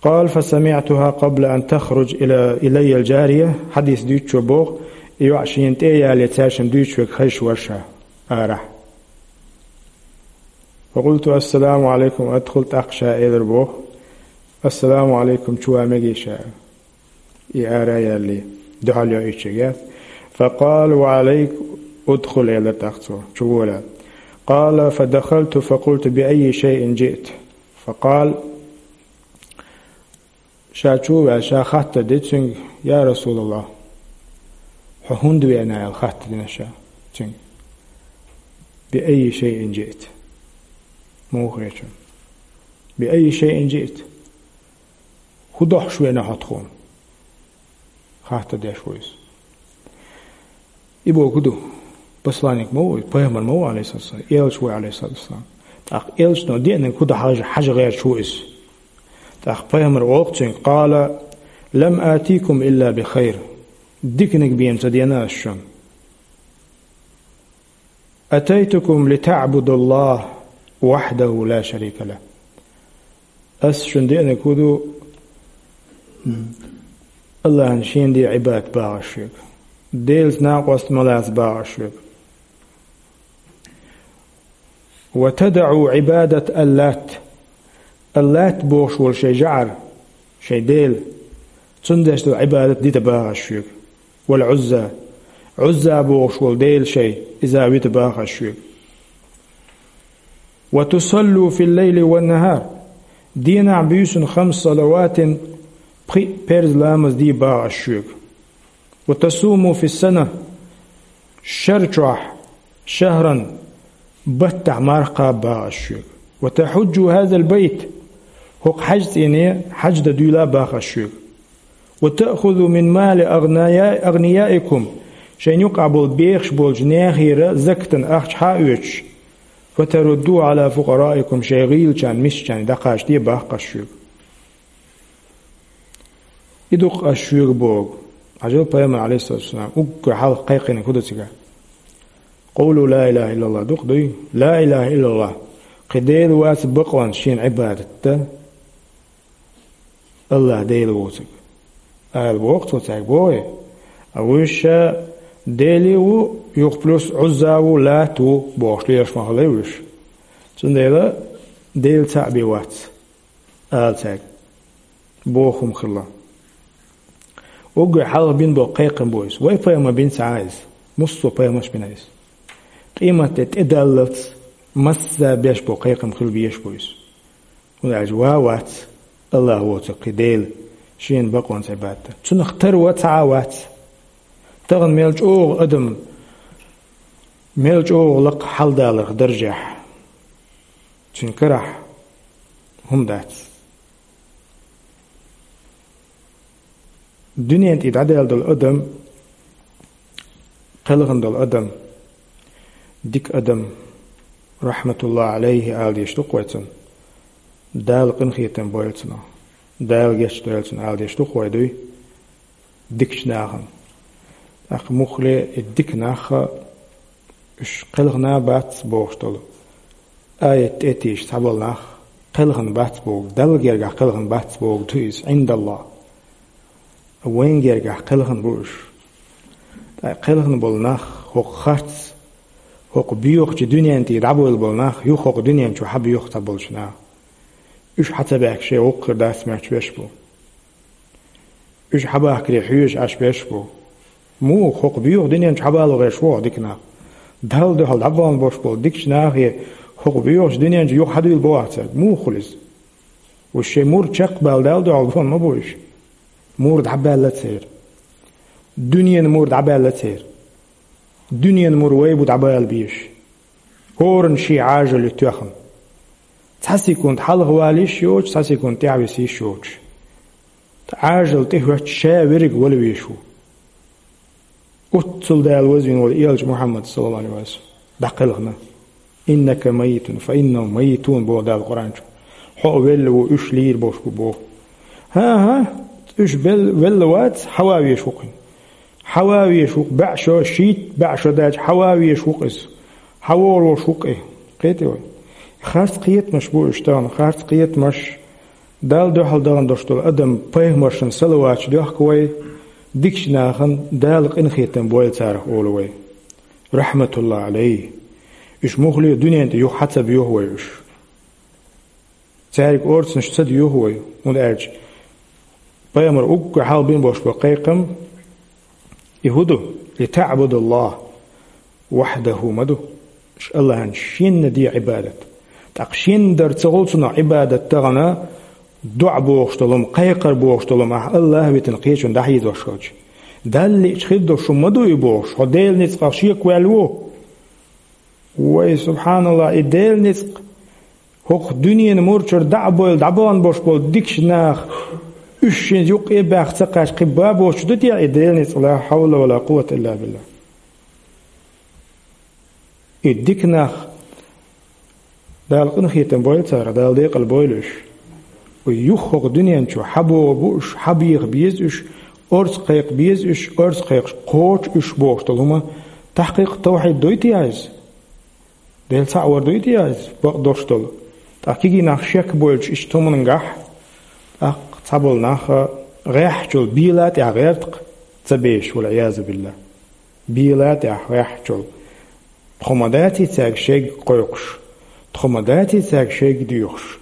Къала, фа самиътуха къабла ан тахрудж ила, илайя ал-джария, хьадис дуьйцучо боху, и йоӀ шена тӀе а ялале, цаьршимма дуьйцуш верг хезаш вара ша арахь. Фа къулту, ассаламу алейкум, адхул, тӀаккха ша элира боху, ассаламу алейкум, чу ван мегий ша. И ара а яьлла, дуьхьал йо иччигге. Факъала, ва алейк, удхул, элира тӀаккха цо, чу вола. Къала, фадахалту, факъулту, би аййи шайин джиъта? Факъала, ша чу а ваьлла, ша хаттар ди цуьнга, я Расулаллах, хьо хӀунда веана, аьлла, хаттар дина ша цуьнга. Би аййи шайин джиъта? Муха хеташ? Би аййи шайин джиъта? ХӀун дохьуш веана хьо тхуна? Хаттар деш ву иза. И бохург ду, посланник ма ву, пайхамар ма ву, алейхиссалату вассалам, элча ву, алейхиссалату вассалам. ТӀаккха элчано деанарг хӀун ду хьажа, хьажа гӀерташ ву иза. ТӀаккха пайхамара олу цуьнга, къала, лам атикум илла би хайр. Диканиг бен ца деана ас шуна. Атайтукум литаъбудаллах вахьдаху ла шарика лах. Ас шуна деанарг хӀун ду? Аллахьна шен де Ӏибадат багӀаш шуьга. Делаца накъост ма лаца багӀаш шуьга. Ва тадаӀу Ӏибадат аллат. Аллат бохуш волу шайн жӀар, шайн дела, цунна деш долу Ӏибадат дита багӀаш шуьга. Вал Ӏузза. Ӏузза бохуш волу дела шайн, иза вита багӀаш шуьга. Ва тусаллу фил лайли ван нахар. Денахь буьйсанна хамс салаватин пхиъ перз ламаз де багӀаш шуьга. Ва тасуму фис сана. Шар чохь, шахран, баттахь марха кхаба багӀаш шуьга. Ва тахьуджу хазал байт. ХӀокху хьаьж цӀене хьаьж дан дуьйла багӀаш шуьга. Ва таъхузу мин мали агъния-, агънияикум, шайн юкъахь болу бехаш болчу нехера закатан ахча хьа а оьцуш, фа тарудду ала фукъараикум, шайн гӀийлачарна, мискачарна дӀакхачаде баккхаш шуьга. И ду-кх ас шуьга боху. Хьажал, пайхамар, алейхиссалату вассалам, уггар хьалха кхайкхинарг хӀун ду цигахь? Къулу ла илаха иллаллах ду-кх дуй? Ла илаха иллаллах. Кхин Дела вац бакъонца шена Ӏибадат дан. Аллах Дела воцург. Ала боху цо цаьрга, бохий? А вуьш ша Дели ву, юха плюс Ӏузза ву, Лат ву бохуш лелаш ма хилла уьш. Цундела Дела цхьаъ бен вац, ала цаьрга. Боху хӀума хилла. Уггар хьалха бина болу кхайкхам бу иза. Вай пайхамар бина ца Ӏа иза. Муссо пайхамарш бина иза. Къематде тӀедаллалц масса беш болу кхайкхам хила безаш бу иза. ХӀунда аьлча ва вац, Аллах воцург кхин Дела, шена бакъонца Ӏибадат дан. Цунах тара ва ца Ӏа вац. Тахана мел чӀогӀа адам, мел чӀогӀа лакха хьалдаларх даржехь, цуьнан карахь хӀума дац. Дуьнен тӀе дӀадаьлла долу адам, кхелхина долу адам, дика адам, рахьматуллахӀи Ӏалайхи ала дезаш ду-кх вай цунна, Дала къинхетам бойла цунах, Дала гечдойла цунна ала дезаш ду-кх вай дуй дикачу нахана. ТӀаккха муххале и дика нах а, уьш кхелхина бац бохуш долу аят тӀе а тийша цхьаболу нах, кхелхина бац боху, Далла гергахь кхелхина бац боху ду иза, Ӏиндаллахь. Вайн гергахь кхелхина бу уьш. ТӀаккха кхелхина болу нах, хӀокху харц, хӀокху боьхачу дуьнен тӀе дӀабевлла болу нах, юха хӀокху дуьнен чу хьан боьху цхьаболчу наха? Уьш хьан ца баьхкича, воккха хир дац моьттуш берш бу. Уьш хьан бахкаре хьоьжуш Ӏаш берш бу. Муха хӀокху боьхачу дуьнен чу хьан бала гӀерш бу хӀокху дика нах? Далла дуьхьал дӀабахана болуш болу дикачу нахе хӀокху боьхачу дуьнен чу юха хьан дуьйла боху цаьрга? Муха хуьлу иза? Уьш шайн мур чекхбала Далла дуьхьал бахана ма бу уьш. Мур дӀабаьлла церан. Дуьненан мур дӀабаьлла церан. Дуьненан мур вай бу дӀабала безаш. ХӀоранна шен Ӏажал ю тоьхна. Цхьа секунд хьалха вала йиш йоцуш, цхьа секунд тӀаьхьа виса йиш йоцуш. Ткъа Ӏажал тӀехӀоьттича ша верриг вала везаш ву. Оццул Дала вазвина волу элча Мухьаммад, саллаллаху Ӏалайхи ва саллам, дӀакхелхина. «Иннака майитун, фа иннахум майитун», боху Дала Къуръан чу. Хьо а велла ву, уьш лийр болуш бу боху. ХӀан-хӀа, уьш бел-, велла вац, хьан ван везаш ву-кх иза? Хьан ван везаш ву-кх, баьӀ шо, шийтта баьӀ шо даьлча, хьан ван везаш ву-кх иза? Хьан вогӀур волуш ву-кх и? Кхетий вай? Харц кхетамаш бу уьш тахана, харц кхетамаш. Далла дуьхьал дахана долуш долу адам пайхамаршна салаваташ доьхку вай, дикачу нахана Дала къинхетам бойла царах олу вай. Рахьматуллахи Ӏалайхи. Уьш муххале дуьнен тӀе юха хьан ца боьху вай уьш? Цаьрга орцанаш ца доьху вай, хӀунда аьлча пайхамар уггар хьалха бина болуш бу кхайкхам, и хӀун ду? «ЛитаӀбудаллахӀа вахьдахӀу» ма ду. Ш-, Аллахьан шенна де Ӏибадат. ТӀаккха шенна дар ца хуьлу цунах Ӏибадат тахана, доӀа бохуш долу хӀума, кхайкхар бохуш долу хӀума ахь Аллахь витина кхечунна дӀахьийзош хилча. Далла лиъча хир долуш хӀума ма ду и бохуш, хьо Делан ницкъах шекваьлла ву. Вай, субхьаналлахӀ, и Делан ницкъ, хӀокху дуьненан мурчуьра дӀа а бевлла, дӀабахана болуш болу дикачу наха, уьш шен юккъе а баьхна ца кхаьчча, кхин бан боцуш ду те и Делан ницкъ, ла хьавла ва ла къуввата илла биллахӀ. И дика нах, Дала къинхетам бойла царах, Дала декъала бойла уьш. Вай юха хӀокху дуьнен чу хьан богӀу бу уьш, хьан беха беза уьш, орца кхайкха беза уьш, орца кхайкхаш кхочу уьш бохуш долу хӀума, тахькъикъ, тавхьид дуй те иза? Дела цхьаъ вар дуй те иза, бакъдолуш долу? ТӀаккха кегий нах шек бойлуш иштта хӀуманна гахь, тӀаккха цхьаболу нах гӀеххьачул бела тӀехь гӀерта-кх, ца безаш, валӀиязу биллахӀ. Бела тӀехь гӀеххьачул. Тхо ма даций цаьрга шег кхойкхуш, тхо ма даций цаьрга шег доьхуш.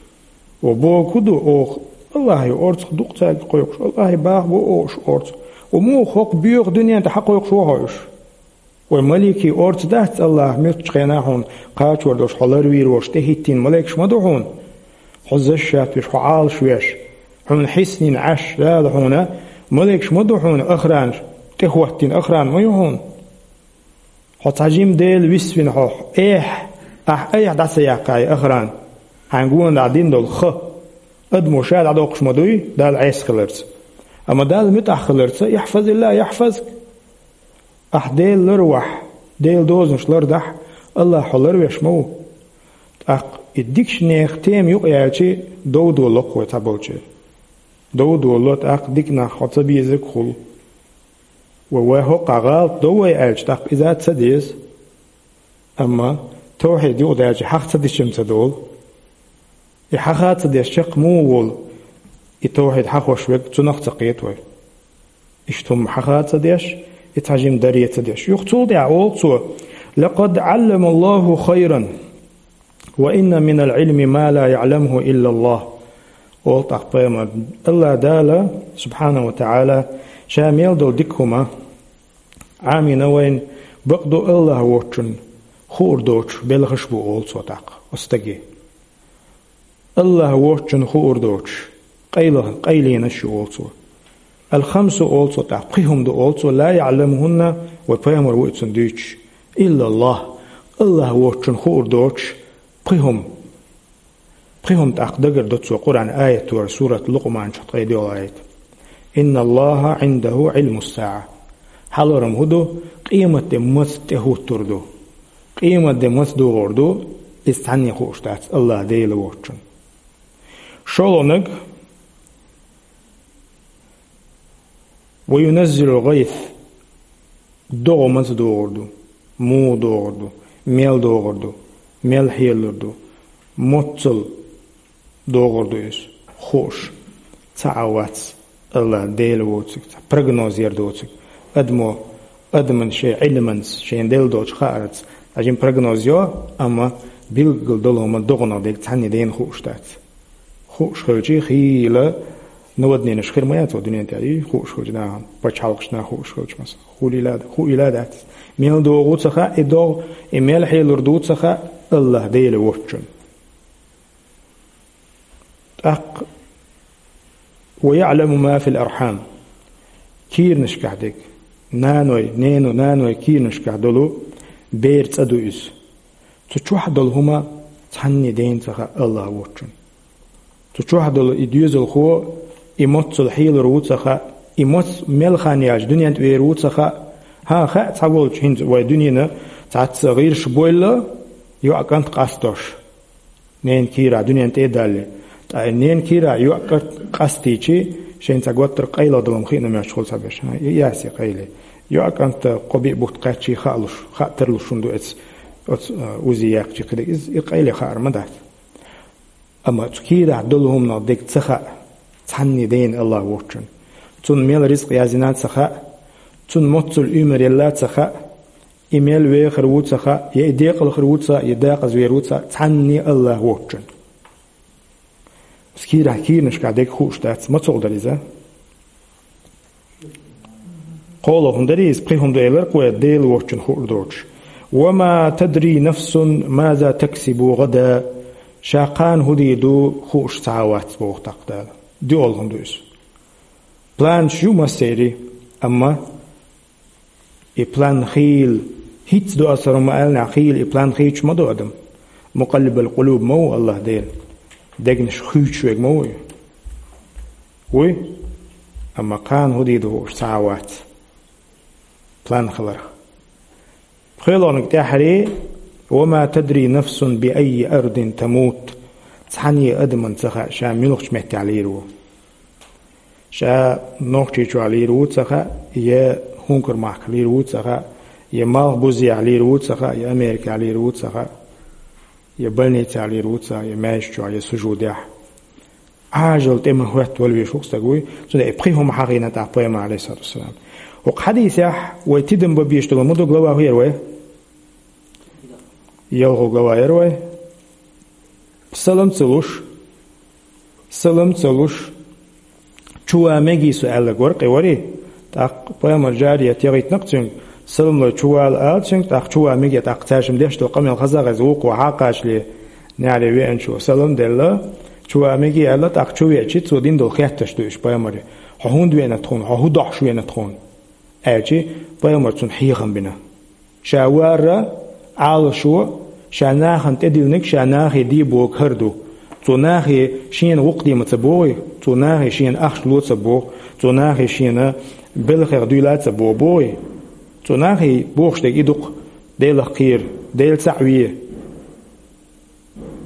Ва боху хӀун ду оха? Аллахье орцах ду-кх цаьрга кхойкхуш, Аллахье баха бу оха уьш орцах. Ва муха хӀокху боьха дуьнен тӀе хьан кхойкхуш ву хьо уьш? Вай маликийн орца дац Аллахь муьлххачу хенахь хьуна кхачор долуш, хьо ларвийр волуш тӀехӀиттийна маликаш ма ду хьуна? Хьо защищать веш, хьо Ӏалаш веш, хьуна хьиснийна Ӏаш Дала хьуна, маликаш ма ду хьуна охранаш, тӀехӀоттийна охрана ма ю хьуна? Хьо цхьа жима дела висвина хьо, эхь, ахь айхьа дӀа ца яккхай охрана, хьайн гонахь дина долу ха. Адамо ша дӀадоккхуш ма дуй, Далла Ӏеса хиларца. Амма Далла муьтӀахь хиларца, ихьфазиллахӀ яхьфазк. Ахь Дела ларвахь, Делан дозанаш лардахь, Аллахь хьо ларвеш ма ву. ТӀаккха и дикачу нехан тема юкъаяьлчи, дов долало-кх вай цхьаболчеран. Дов долало, тӀаккха дика нах хьо ца безарг а хуьлу. Ва вай хӀокхахь гӀалат до вай аьлча, тӀаккха иза а ца деза. Амма тавхьид юкъадаьлчи, хьаха ца дича-м ца долу. И хьаха ца деш чекх муха волу, и тавхьид хьахош верг, цунах а ца кхета вай. Иштта хӀума хьаха ца деш, И цхьа жима даре ца деш. Юха цул тӀаьхьа олу цо: «Лакъад Ӏаллама Аллаху хайран, ва инна минал Ӏилми ма ла яӀламуху иллаллах». Олу тӀаккха пайхамар: «Аллах Дала, субхьанаху ва таӀала, ша мел долу дика хӀума Ӏамийна вайна, бакъду Аллах воцчунна хуур доцуш белхаш бу», олу цо тӀаккха оцу стаге. Аллах воцчунна хуур доцуш, къайла-, къайленаш ю, олу цо. «Ал-хамсу», олу цо тӀаккха, пхи хӀума ду, олу цо, «ла яӀламухунна», вай пайхамар ву и цунна дуьйцуш, «иллаллах», Аллах воцчунна хуур доцуш пхи хӀума. Пхи хӀума тӀаккха дагардо цо Къуръан аятора, сурат Лукъман чу ткъе доьалгӀа аят: «Инналлаха Ӏиндаху Ӏилмус-саӀа». Хьалорам хӀун ду? Къематде маца тӀехӀуттур ду. Къематде маца догӀур ду, иза цхьанне хууш дац Аллах Дела воцчунна. ШолгӀаниг: «Ва юназзилул гӀайс». ДогӀа маца догӀур ду, муха догӀур ду, мел догӀур ду, мел хьелалур ду, моццул догӀур ду иза, хууш цхьа а вац Аллах Дела воцург, цхьа прогноз яр доцург. Адамо, адаман шайн Ӏилманца, шайна делла долчу хаарца, цхьа жима прогноз йо, амма билггал долу хӀума догӀанах дерг цхьанне дена хууш дац. Хууш хилча, хийла наводненеш хир ма яц вай дуьнен тӀехь, и хууш хилча нахана, пачхьалкхашна хууш хилча, масала, хуйла а, хуйла а дац. Мел догӀу ца хаьа и догӀа, и мел хьелалур ду ца хаьа Аллах Дела воцчунна. ТӀаккха: «Ва яӀламу ма фил архьам». Кийранашкахь дерг, наной, нено, наной кийранашкахь долу бер цӀа ду иза. Цу чохь долу хӀума цхьанне дена ца хаьа Аллах воцчунна. Цу чохь долу и доьзалхо, и моццул хьелалур ву ца хаьа, и моццул мел хан яьлча дуьнен тӀе вер ву ца хаьа. ХӀан, хаьа цхьаволчу, хӀинца вай дуьненан цхьацца гӀирсаш бойла, йоӀ кӀант къастош. Ненан кийрахь дуьнен тӀе а далле. Ткъа и ненан кийрахь йоӀ кӀант къастийчи, шайна цхьа готтар къайлагӀа долу хӀума хиъна моьттуш хуьлу цхьаберш. ХӀан, и яц и къайле. ЙоӀ кӀанта кхо-биъ бутт кхаьччи хаалуш, хаа тарлуш хӀун ду эц, оцу, а, узи яьккхичи кхидерг, иза и къайле хаар ма дац. Амма цу кийрахь долу хӀуманах дерг ца хаьа цхьанне дена Аллах воцчунна. Цунна мел ризкъ яздина ца хаьа, цунна моццул уьймар елла ца хаьа, и мел вехар ву ца хаьа, я и декъал хир ву ца хаьа, я декъаза вер ву ца хаьа, цхьанне Аллах воцчунна. Кийрахь, кийранашкахь дерг хууш дац, мацалла дара иза. КхоалгӀа хӀума дара иза, пхи хӀума ду элира кхо, Дела воцчунна хуур доцуш. «Ва ма тадри нафсун маза таксибу гӀадан». Ша кхана хӀун дийр ду хууш цхьа а вац, боху тӀаккха Дала. ДоьалгӀа хӀума ду иза. Планаш ю массеран, амма и план хийла, хӀинца ду аса хӀара ма аьллинехь, хийла и план хийцуш ма ду адам. Мукъаллибал къулуб ма ву Аллах Дела. Дегнаш хуьйцуш верг ма ву и. Вуй? Амма кхана хӀун дийр ду хууш цхьа а вац. План хиларх. ПхоьалгӀаниг тӀаьххьара: «Ва ма тадри нафсун би айи ардин тамут». Цхьанне адамна ца хаьа, ша муьлхачу меттехь лийр ву. Ша Нохчийчохь лийр ву ца хаьа, я хӀункар махка лийр ву ца хаьа, я малхбузехь лийр ву ца хаьа, я Америкехь лийр ву ца хаьа, я больницехь лийр ву ца хаьа, я маьждиг чохь, я сужудехь. Ӏажал тӀе ма хӀоьттина вала везаш ву-кх стаг вуй, цундела и пхи хӀума хьахийна тӀаккха пайхамара, Ӏалайхиссалату вассалам. ХӀокху хьадисехь вай тидам бан безаш долу ма ду глава хӀун яра вай? ЯлхолгӀа глава яра вай? Салам ца луш, салам ца луш, чу ван мегий со аьлларг вара-кх и, варий? ТӀаккха пайхамар, жарият яхийтина-кх цуьнга, салам лой, чу вала ала цуьнга, тӀаккха чу ван мегий, тӀаккха цаьршимма деш долу къамел хаза а хезна, вукхо хьакхачале, нехьре веанчо салам делла, чу ван мегий аьлла, тӀаккха чу веача, цо дина долу хеттарш ду уьш пайхамаре: «Хьо хӀунда веана тхуна? Хьо хӀун дохьуш веана тхуна?» аьлча, пайхамара цунна хьехам бина. Ша вар а, Ӏалашо, ша нахана тӀедиллинарг ша нахе де бохург хӀара ду. Цо нахе шена гӀуллакх де ма ца боху, цо нахе шена ахча ло ца боху, цо нахе шена белхех дуьйла ца боху, боху. Цо нахе бохуш дерг и ду-кх: Делах кхера, Дела цхьаъ ве.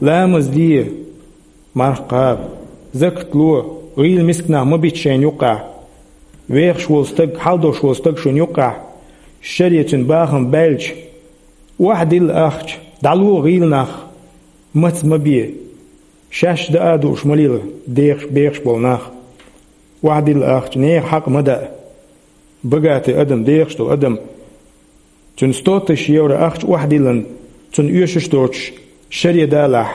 Ламаз де, марха кхаба, закат ло, гӀийла мисканах ма бита шайна юккъехь. Вехаш волу стаг, хьал долуш волу стаг шуна юккъехь, шаре цуьнан бахам баьлча, охьадилла ахча, дӀало гӀийла нах, маца ма бе, шаьш даа а дууш ма лела, дехаш, бехаш болу нах. Охьадилла ахча, нехан хьакъ ма даа. Богатый адам, дехаш долу адам, цуьнан сто тысяч евро ахча охьадиллина, цунна оьшуш доцуш шаре далахь,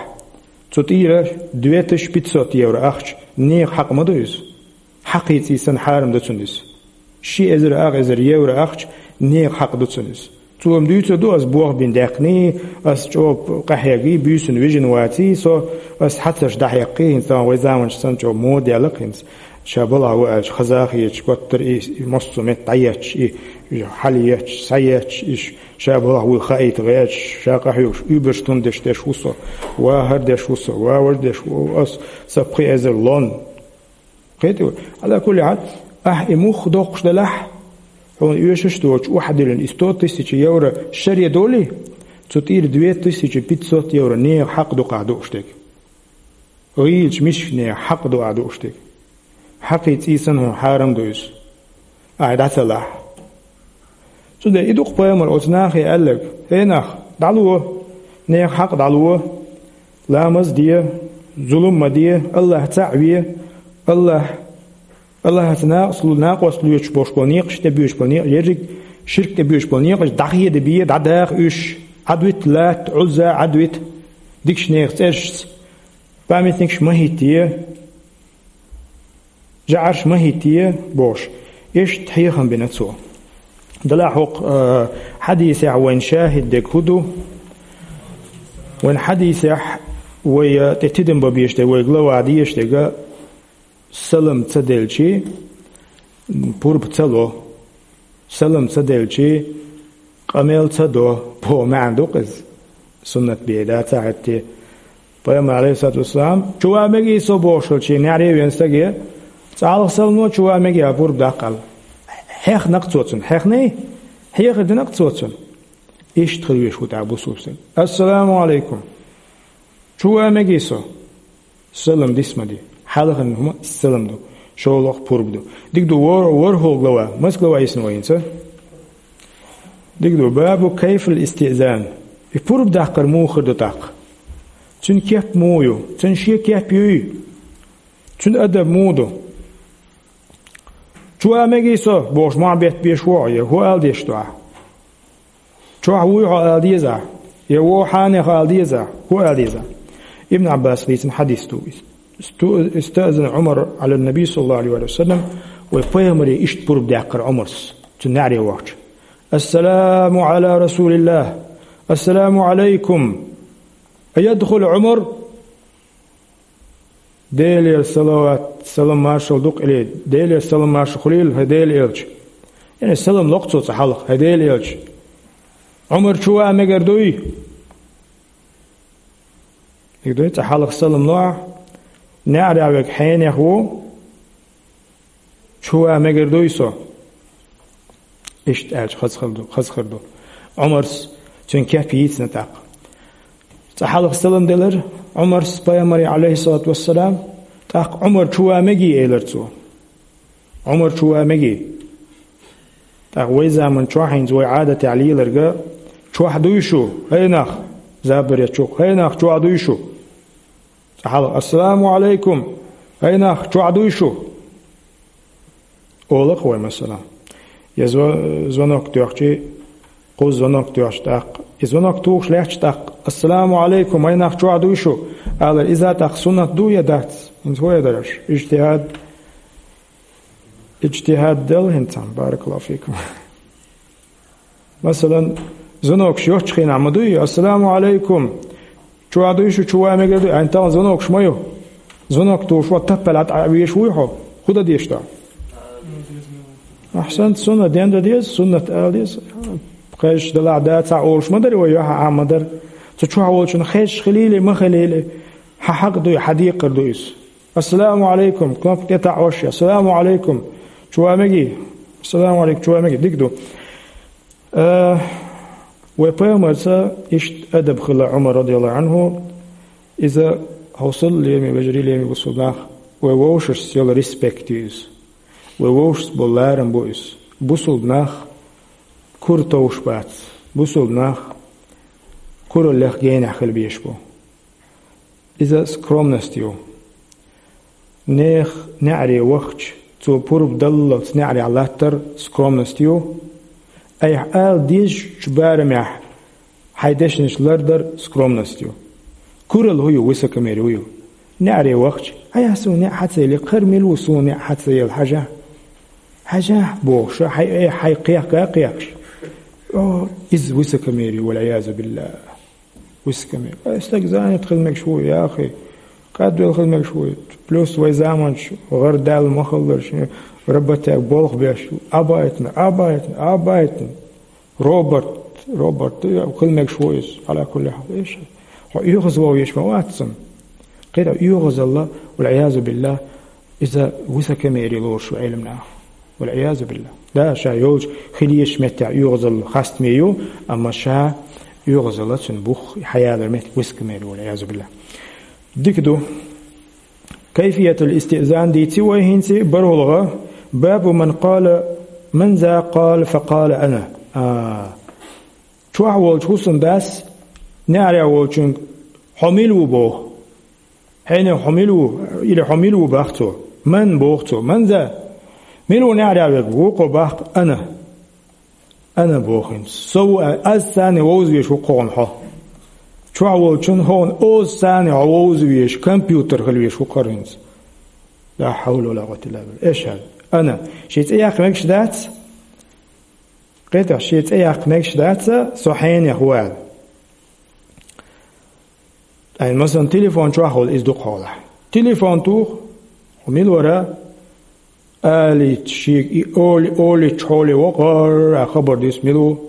цу тӀера две тысячи пятьсот евро ахча, нехан хьакъ ма ду иза. Хьакхийций санна хьарам ду цунна иза. Ши эзар, ах эзар евро ахча, нехан хьакъ ду цунна иза. Цо-м дуьйцур ду, ас бох бина даьккхиний, ас чӀогӀа къахьегий, буьйсанна вижина ваций со, ас хьацарш дӀахьеккхий, хӀинца тахана вай заманчохь санна чӀогӀа мода яьлла-кх хӀинца. Ша балахь ву аьлча, хаза а хеташ, коттара и, и массо а метта дӀаетташ, и хьалаетташ, схьаетташ, и ш-, ша балахь вуй хаийта гӀерташ, ша къахьоьгуш, уьйбарш тун деш деш ву со, ва хӀара деш ву со, ва важа деш ву ас, сан пхи эзар лон. Кхетий вай? Ӏала кулли хьал, ахь и мух доккхуш делахь, хьуна оьшуш доцуш охьадиллина и сто тысяч евро шаре долий, цу тӀера две тысячи пятьсот евро нехан хьакъ ду-кх ахь дууш дерг. ГӀийлачу мисканехан хьакъ ду ахь дууш дерг. Хьакхийций санна хьуна хьарам ду иза. Ахь дӀа ца лахь. Цундела и ду-кх пайхамара оцу нахе аьлларг: «ХӀей нах, дӀало, нехан хьакъ дӀало, ламаз де, зулам ма де, АллахӀ цхьаъ ве, АллахӀ, АллахӀаца накъост ло-, накъост лоьцуш болуш болу некъаш, тӀебоьдуш болу некъаш, ерриг ширк тӀебоьдуш болу некъаш дӀахедабе, дӀадаха уьш, Ӏадвита Лат, Ӏузза, Ӏадвита, дикачу нехан цӀерашца, памятникаш ма хӀиттае, жӀараш ма хӀиттае», – бохуш, иштта хьехам бина цо. Делахь хӀокху, а, хьадисехь вайн шахӀид дерг хӀун ду? Вайн хьадисехь вай, а, тӀе тидам бан безаш дерг, вай глава дезаш дерг, салам ца делчий, пурба ца ло. Салам ца делчий, къамел ца до, боху маьӀна ду-кх иза. Суннат бен дац ахь хӀетте. Пайхамар, Ӏалайхиссалату вассалам, чу ван мегий со бохуш хилчий, неӀаре вен стаге, цкъа хьалха салам ло, чу ван мегий, пурба даккха аьлла. Хьехна-кх цо цунна, хьехний? Хьехар дина-кх цо цунна. Иштта хила везаш ву тӀаккха бусулба стаг. Ассаламу Ӏалайкум. Чу ван мегий со? Салам дис ма де. Хьалхарниг хӀума салам ду. ШолгӀа пурба ду. Дика ду, вор-, ворхӀалгӀа глава. Маса глава йисна вай хӀинца? Дика ду, бабу кайфил истиъзан. И пурба даккхар муха хир ду тӀаккха? Цуьнан кеп муха ю? Цуьнан шен кеп юй? Цуьнан адаб муха ду? Чу ван мегий со, бохуш, мохь беттабеш ву хьо, я хӀун ала дезаш ду ахь? Чохь вуй хьо ала деза ахь? Я вогӀу хьенех ала деза ахь? ХӀун ала деза ахь? Ибн Ӏаббаса дийцина хьадис ду иза. Исту-, истаъзана Ӏумар Ӏала ннабий, саллаллаху Ӏалайхи ва саллам, вай пайхамаре иштта пурба даьккхира Ӏумарс, цуьнан неӀаре вахча. Ассаламу Ӏала расулиллах. Ассаламу Ӏалайкум. Аядхулу Ӏумар? Делера салават, салам маршалла ду-кх, или, Делера салам маршалла хуьлийла хӀай Делан элча. Яъни салам ло-кх цо цкъа хьалха, хӀай Делан элча. Ӏумар чу ван мегар дуй? Дика дуй, цкъа хьалха салам ло ахь, неӀарехь верг хьенех ву, чу ван мегар дуй со? Иштта аьлча хаза хир ду, хаза хир ду. Ӏумарс цуьнан кеп йийцина тӀаккха. Цкъа хьалха салам делира Ӏумарс пайхамаре, Ӏалайхиссалату вассалам, тӀаккха Ӏумар чу ван мегий элира цо. Ӏумар чу ван мегий. ТӀаккха вай заман чохь хӀинца вай Ӏадатехь леларг: «Чохь дуй шу, хӀай нах?» Забаре чу: «ХӀай нах, чохь дуй шу?» Цкъа хьалха: «Ассаламу Ӏалайкум, хӀай нах, чохь дуй шу?» Олу-кх вай, масала, я зва-, звонок тоьхчий, кхузза звонок тоьхча тӀаккха, и звонок тухуш лаьттачу тӀаккха: «Ассаламу Ӏалайкум, хӀай нах, чохь дуй шу?» алар, иза тӀаккха суннат ду я дац? ХӀинца хӀун эр дара аша? Иджтихьад, иджтихьад дала хӀинца, баракаллаху фикум. Масалан, звонокаш йоцчу хенахь ма дуй: «Ассаламу Ӏалайкум! Чохь дуй шу, чу ван мегар дуй?» Хьайн тахана звонокаш ма ю. Звонок тухуш ван таппалахь дӀа а везаш вуй хьо? ХӀун дан дезаш ду? Ахьсанат сунна, ден дан деза, суннат ала деза. Кхечу далахь да цхьа олуш ма дара вай, юьхьа Ӏан ма дара. Цу чохь волчунна хезаш хилийла, ма хилийла, хьан хьакъ дуй, хьан декхар ду иза. «Ассаламу Ӏалайкум», кнопка тӀе таӀош, «Ассаламу Ӏалайкум, чу ван мегий?» «Ассаламу Ӏалайкум, чу ван мегий?» Дика ду. Э, вай пайхамарца иштта адаб хилла Ӏумар, радияллаху Ӏанху, иза хьовсал лераме, вежарий лераме бусулба нах, вай вовшашца йолу респект ю иза. Вай вовшашца болу ларам бу иза. Бусулба нах кура товш бац. Бусулба нах кураллех генахь хила безаш бу. Иза скромность ю. Нехан неӀаре вахча, Цо пурба даллалц неӀарехь латтар скромность ю. Айхьа ала дезачу барамехь хьайн дешнаш лардар скромность ю. Куралла хӀун ю, высокомерие хӀун ю? НеӀаре вахча, хьан яхь суна неӀ хьан ца елла, кхара мила ву суна неӀ хьан ца елла, хьажахь. Хьажахь, бохуш, хьайн, э, хьайн кхехка а кхехкаш. О, иза высокомерие, валь-Ӏиязу биллахӀ. Высокомерие. Ай, стаг занят хила мегаш ву, яхий. Кхаьдвелла хила мегаш ву. Плюс вай заманчу гӀар даьлла ма хиллара, шен роботехь болх беш. Абайтна, абайтна, абайтна. Робот, робот, хила мегаш ву иза. Ӏала кулли хьал. Эш, хьо оьгӀазван веш ма вац цунна. Кхин а оьгӀазалла, валь-Ӏиязу биллахӀ, иза высокомерие лоруш ву Ӏеламнаха. Валь-Ӏиязу биллахӀ. Да, ша йолчу хила езачу меттехь оьгӀазалла хастаме ю, амма ша оьгӀазалла цуьнан бух хьаялар метта высокомерие, валь-Ӏиязу биллахӀ. Дика ду. Кайфиятул истиъзан дийци вай хӀинца бархӀалгӀа, бабу ман къала, ман за къала, фа къала ана. А, чохь волчу хӀусамдас неӀарехь волчуьнга хьо мила ву боху. Хьенех хьо мила ву, или хьо мила ву бах цо. Ман боху цо. Ман за? Мила ву неӀарехь верг? Вукхо бах ана. Ана боху хӀинца. Со ву, а, аз царна вовза веш ву кхуьнан хьо. Чохь волчун хьуна оза царна хьо вовза веш, компьютер хила веш ву кхара хӀинца. Ла хьавла ва ла къуввата илла биллахӀ. Эш хьал. Ана. Шен цӀе яккха мегаш дац? Кхетахь, шен цӀе яккха мегаш дац, со хьенех ву аьлла. Ткъа, масалан, телефон чохь хуьлу иза дукха хьолахь. Телефон туху, хьо мила вара, алийта шега и оли, оличча хьоле вокхара а хабар дис мила ву.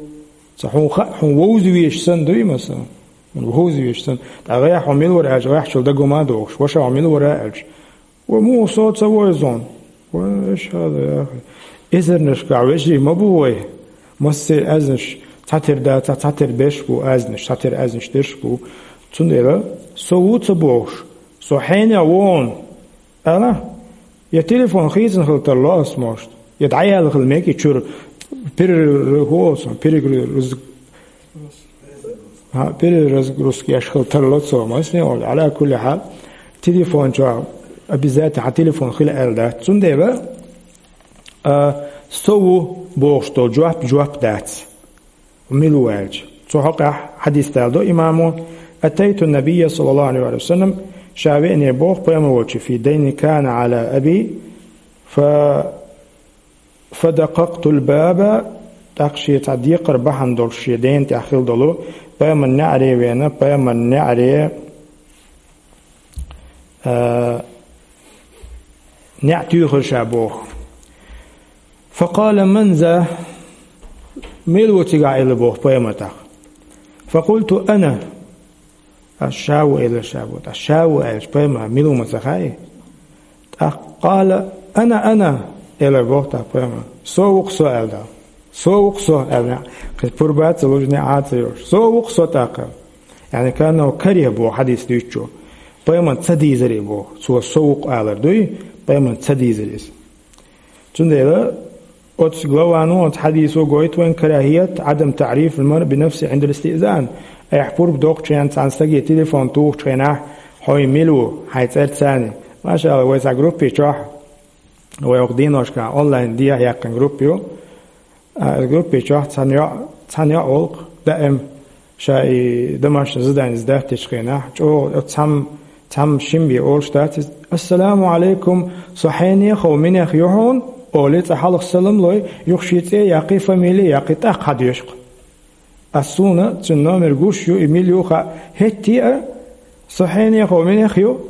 Ца хьуна хаьа, хьуна вовза веш санна дуй, масалан. Хьуна вовза веш санна. Ткъа гӀехь хьо мила вара аьлча, гӀехьчул дагома а дохуш, ваша хьо мила вара аьлча. Ва муха со ца войзун? Ва эш хьала, яхи. Эзарнашкахь вежарий ма бу вай. Массеран аьзнаш цхьатера дац, цхьатера берш бу аьзнаш, цхьатера аьзнаш дерш бу. Цундела со ву ца бохуш, со хьенех ву хьуна, ала? Я телефон хийцина хила тарло ас, может? Я дӀаяьлла хила мега и чуьра пере-, хӀу оцу, перегруз-, ХӀа, переразгрузка еш хила тарло цо, масне олу. Ӏала кулли хьал, телефон чохь обязательно хьан телефон хила аьлла дац. Цундела, а, со ву бохуш долу жоп, жоп дац. Мила ву аьлча. Цу хьокъехь хьадис даладо имамо: «Атайту набийя, саллаллаху алейхи ва саллям», ша веане боху пайхамар волчу, «фи дайни кана ала аби, фа фадакъакътул баба», тӀаккха шен цхьа декхар бахьана долуш шен дена тӀехь хила долу, пайхамаран неӀаре веана, пайхамаран неӀаре, а, неӀ туьйхира ша боху. «Факъала ман за», мила ву цигахь аьлла боху пайхамар тӀаккха. «Факъулту ана». Ас ша ву элира ша боху. Ас ша ву аьлча, пайхамар мила ву ма ца хаьий? ТӀаккха «къала ана, ана», элира боху тӀаккха пайхамар. «Со ву-кх со», аьлла тӀаккха. «Со ву-кх со», аьлла. Кхин пурба а ца луш, неӀ а ца йолуш. «Со ву-кх со», тӀаккха. Яъни, кааннаху кариха боху хьадис дуьйцучо. Пайхамар ца дийзира и боху. Цо «со ву-кх» алар дуй, пайхамар ца дийзира иза. Цундела оцу главано, оцу хьадисо гойту вайн карахӀият, Ӏадам таӀриф ал-маръ би нафсихи Ӏиндал истиъзан. Айхьа пурба доккхучу хенахь цхьана стаге телефон тухучу хенахь, хьо и мила ву, хьайн цӀерца царна. Машалла, вай цхьа группе чохь, вай окху дийношкахь онлайн дехьа яьккхина группа ю. А, группе чохь цхьана йоӀ, цхьана йоӀ волу-кх, даим ша и домашний задание сдать дечу хенахь, чӀогӀа цхьамма, цхьамма шимбе олуш дац иза: «Ассаламу Ӏалайкум, со хьенех а ву, минех ю хьуна», олий, цкъа хьалха салам лой, юха шен цӀе а яккхий, фамили а яккхий, тӀаккха хьадоьшу-кх. Ас суна цуьнан номер гуш ю, и мила ю хаьа, хӀетте а, со хьенех а ву, минех ю,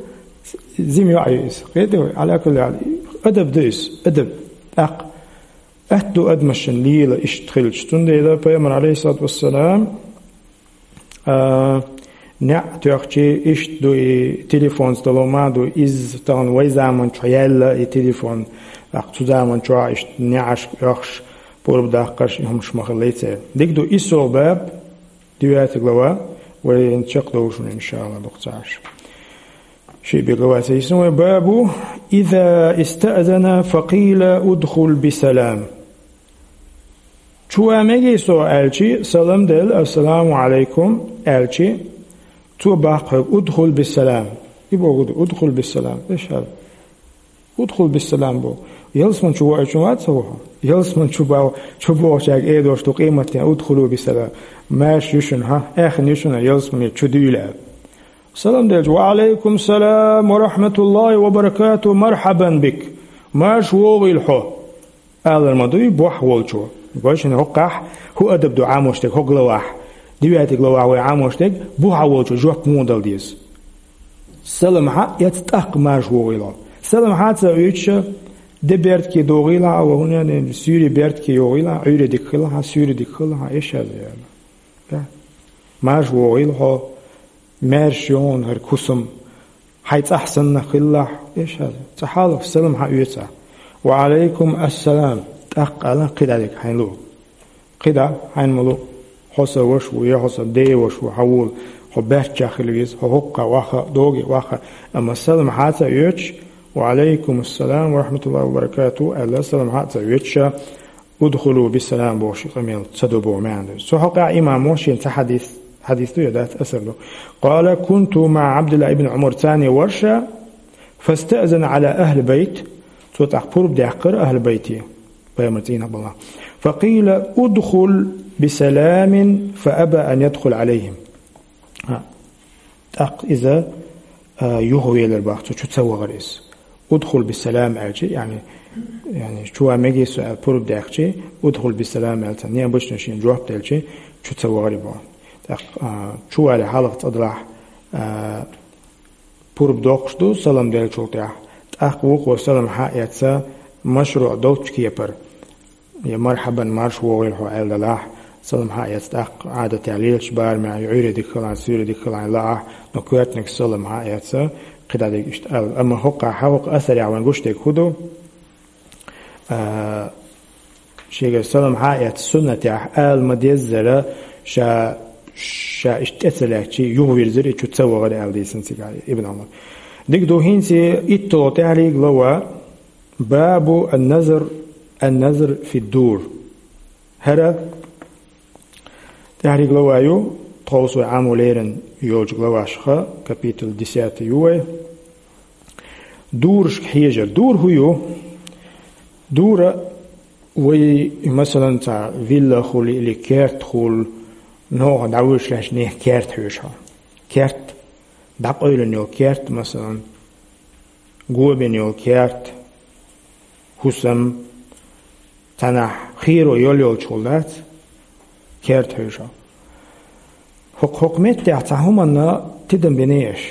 жима йоӀ ю иза. Кхетий вай? Ӏала кулли хьал, адаб ду иза, адаб. ТӀаккха Аьтто ду адамашна лела иштта хилча. Цундела пайхамар, алейхиссалату вассалам, а, неӀ тоьхча иштта ду и телефонца долу ма ду, иза тахана вай заманчохь яьлла и телефон, тӀаккха цу заманчохь иштта неӀарш оьхуш, пурба даккхарш, и хӀумаш ма хиллий церан. Дика ду, и со баб, девятая глава, вайн чекхдовлуш ву, иншалла, дукха ца Ӏаш. Ши бегаваса йисна вай бабу: «Иза истаъзана факъила удхул бисалам». Чу ван мегий со аьлчи, салам делла, «Ассаламу Ӏалайкум» аьлчи, цо баккха хьоьга: «Удхул бисалам». И богу ду: «Удхул бисалам». Эшхьал. «Удхул бисалам» бу. Ялсман чу воуьйтуш вац хьо? Ялсман чу бо-, чу бохучаьрга эр долуш ду къематдийнахь: «Удхулу бисалам». Маьрша ю шуна, хьа? Аьхна ю шуна ялсмане чу дуьйла аьлла. Салам делча: «Ва алайкум салам ва рахматуллахи ва баракату, мархьабан бик». Маьрша вогӀийла хьо. Алар ма дуй бохь волчо. Гой шуна хӀокхахь хӀун адаб ду Ӏамош дерг хӀокху главахь? Девятый главахь вай Ӏамош дерг, бухахь волчо жоп муха дала деза? Салам хьаэцна тӀаккха маьрша вогӀийла хьо. Салам хьа а ца оьцуш, де бертахь догӀийла хьа, ва хӀун ян, суьйре бертахь йогӀийла хьа, Ӏуьйре дика хила хьа, суьйре дика хила хьа, эшаза яла. Маьрша вогӀийла хьо, маьрша ю хьуна хӀара кусам, хьайн цӀахь санна хилалахь, эшаза. Цкъа хьалха салам хьаэца. «Ва алайкум ассалам», тӀаккха ала кхидӀа дерг хьайна луъу. КхидӀа хьайна ма луъу, хьо сан ваша ву, я хьо сан ден ваша ву, хьан вула, хьо баьрчча хила веза, хьо хӀокхахь ваха, доге ваха, амма салам хьа а ца оьцуш, «Ва алайкум ассалам ва рахматуллахи ва баракату», аьлла, салам хьа а ца оьцуш, «Удхулу бисалам» бохуш и къамел ца до боху маьӀна ду. Цу хьокъехь имамо шен цхьа хьадис, хьадис ду я дац, асар ду. «Къала кунту маӀа Ӏабдилла ибн Ӏумар», царна вара ша, «фастаъзана Ӏала ахьли байт», цо тӀаккха пурба даьккхира ахьли байте, пайхамар цӀийнах балахь. «Факъила: удхул бисаламин, фааба ан ядхул Ӏалайхим». ТӀаккха иза, а, юхавелира боху, цо чу ца вахара иза. «Удхул бисалам» аьлча, яъни, яъни, чу ван мегий со аьлла пурба даьккхича, «Удхул бисалам» аьлла цхьа неӀалт бу шуна шена жоп делча, чу ца вахара боху. ТӀаккха, а, чу вале хьалха цкъа делахь, а, пурба доккхуш ду салам деллачул тӀаьхьа. ТӀаккха вукхо салам хьаэца машруӀ долчу кепара. Я «мархьабан», маьрша вогӀийла хьо аьлла делахь, салам хьаэца тӀаккха Ӏадатехь лелачу барамехь, я Ӏуьйре дика хилахь, суьйре дика хилахь лаахь, но коьртаниг салам хьаэца, кхидӀа дерг иштта аьлла. Амма хӀокхахь, хӀокху асарехь вайна гуш дерг хӀун ду? А, шегара салам хьаэца суннатехь ала ма-деззара, ша, ша иштта тӀе ца лаьттачий, юхавирзира и, чу ца вахара аьлла дийцина цигахь Ибн Ӏумар. Дика ду, хӀинца итталгӀа тӀаьхьарчу глава, «Бабу ан-назр, ан-назр фи дур». ХӀара тӀаьхьарчу глава ю, тховса вай Ӏамо лерина йолчу главашха, капитул десятый ю вай. Дурашка хьежар. Дур хӀун ю? Дура вай, масалан, цхьа вилла хуьлу или керт хуьлу, ногӀа дӀавуьжуш лаьтташ нехан керта хьоьжу хьо. Керт, дӀакъевлина йолу керт, масалан, го бина йолу керт, хӀусам, цхьанхьа херо йолу йолчухула дац, керта хьоьжу хьо. ХӀокху, хӀокху меттехь цхьа хӀуманна тидам бина аша,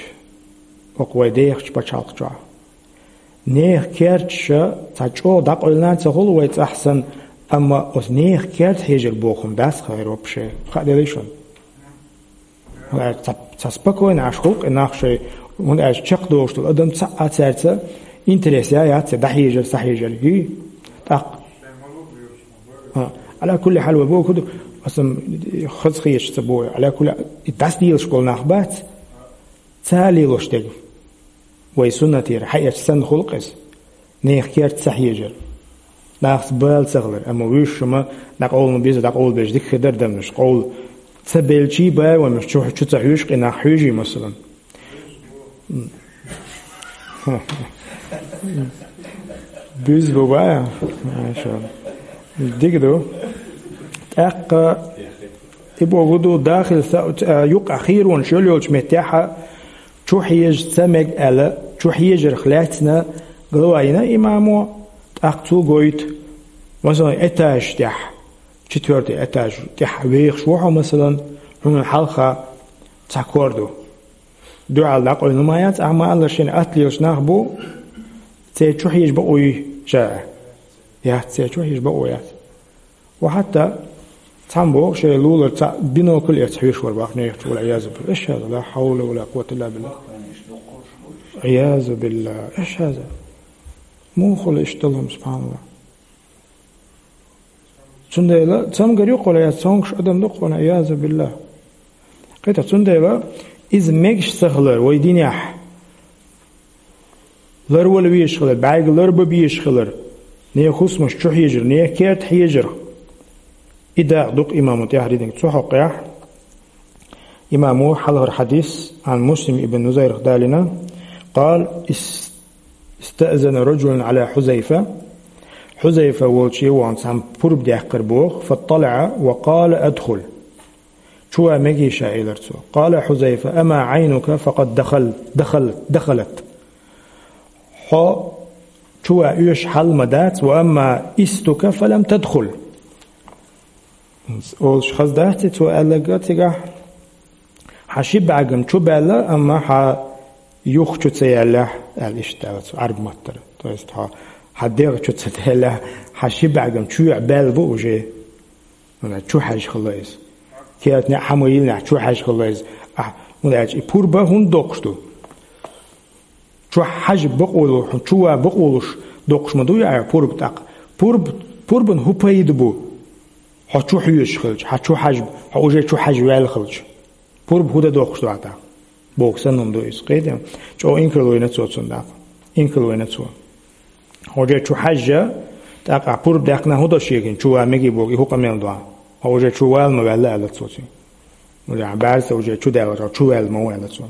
хӀокху вай дехачу пачхьалкх чохь. Нехан керташа цхьа чӀогӀа дӀакъевлина а ца хуьлу вай цӀахь санна, амма оцу нехан керта хьежар боху хӀума дац хӀара вообще. Хаа делахь шуна? Ца, ца спокойно Ӏаш хуьлу-кх и нах шайн, хӀунда аьлча чекхдолуш долу адам цхьа а цаьрца интерес я, яц церан дӀахьежар, схьахьежар, хӀий? ТӀаккха. А, Ӏала кулли хьал, вай боху ду, аса хаза хеташ ца боху, Ӏала кулли, и дӀасадоьлуш болу нах бац, цара лелош дерг. Вай суннатера хьаэцча санна хуьлу-кх иза. Нехан керта схьахьежар. Нахаца бала ца хилар, амма вуьйш ма дӀакъовла беза, дӀакъовла беза дика хир дара адамаш. Къовла ца белчий бала вамаш чу, чу ца хьоьжуш, къинах хьоьжий, масалан. М. Буьзза бу бан? Маша. Дика ду. ТӀаккха и боху ду, дахил са-, а, юкъа хийронаш йолу йолчу меттехь а, чу хьежа ца мега аьлла, чу хьежарх лаьцна глава йина имамо, тӀаккха цо гойту, масалан, этаж тӀехь, четвёртый этаж тӀехь вехаш ву хьо, масалан, хьуна хьалха цхьа кор ду. Дуьхьал дӀакъевлина ма яц, ахьа ма-аллара, шена атта лелаш нах бу, церан чу хьежа бакъо юй ша? Яц, церан чу хьежа бакъо яц. Ва хьатта цхьамма боху, шайн лулара цхьаъ бинокль эцна хьоьжуш вара боху нехан чу, вал-Ӏиязу биллахӀ. Эшшаза, ла хьавла ва ла къуввата илла биллахӀ. ӀиязубиллахӀ, эшшаза. Муха хуьлу иштта долу хӀума, субхьаналлахӀ? Цундела цамгар ю-кх вай, я цомгуш адам ду-кх вай, ӀиязубиллахӀ. Кхета, цундела иза мегаш ца хилар вай динехь, ларвала везаш хилар, бӀаьрга ларбан безаш хилар, нехан хӀусамаш чу хьежар, нехан керта хьежар. И дакъа ду-кх имамо тӀаьхьарчу дийнахь. Цу хьокъехь имамо хьалхара хьадис Ӏан Муслим ибн Нусайрах далийна: «Къала: ис-, истаъзана раджулун Ӏала Хьузайфа». Хьузайфа волчу вахана цхьамма пурба даьккхира боху, فاطلع وقال: ادخل. Чу ван мегий ша, элира цо. قال حذيفة: أما عينك فقد دخل، دخل، دخلت. Хьо чу ван оьшуш хьал ма дац, وأما إستك فلم تدخل. Олуш хаза дац и цо аьлларг цигахь? Хьан ши бӀаьргам чу баьлла, амма хьан юха чу ца яьллехь, аьлла иштта аьлла цо, Ӏаьрбийн маттара. То есть хьо, хьан дегӀ чу ца даьллехь, хьан ши бӀаьргам чоьхьа баьлла бу уже. ХӀунда чу хьаьжжа хилла иза. Керта неӀ хьан ма йиллинехь, чу хьаьжжа хилла иза. Ахь, хӀунда аьлча и пурба хӀунда доккхуш ду? Чу хьажа бакъо луш, хьуна чу ван бакъо луш доккхуш ма ду и пурба тӀаккха. Пурба, пурбан хӀун пайда бу? Хьо чу хьоьжуш хилча, хьан чу хьажа, хьо уже чу хьажа ваьлла хилча. Пурба хӀун дан доккхуш ду ахь тӀаккха? Боху санна хӀума ду иза. Кхетий? ЧӀогӀа инкарло йина цо цунна тӀаккха. Инкарло йина цо. Хьо уже чу хьаьжжа, тӀаккха ахь пурба даьккхина хӀун до шегара, чу ван мегий боху, и хӀун къамел ду ахь? Хьо уже чу вала ма ваьлла аьлла цо цуьнга. Уже ахь баьрса уже чу даьлла, хьо чу ваьлла ма ву аьлла цо.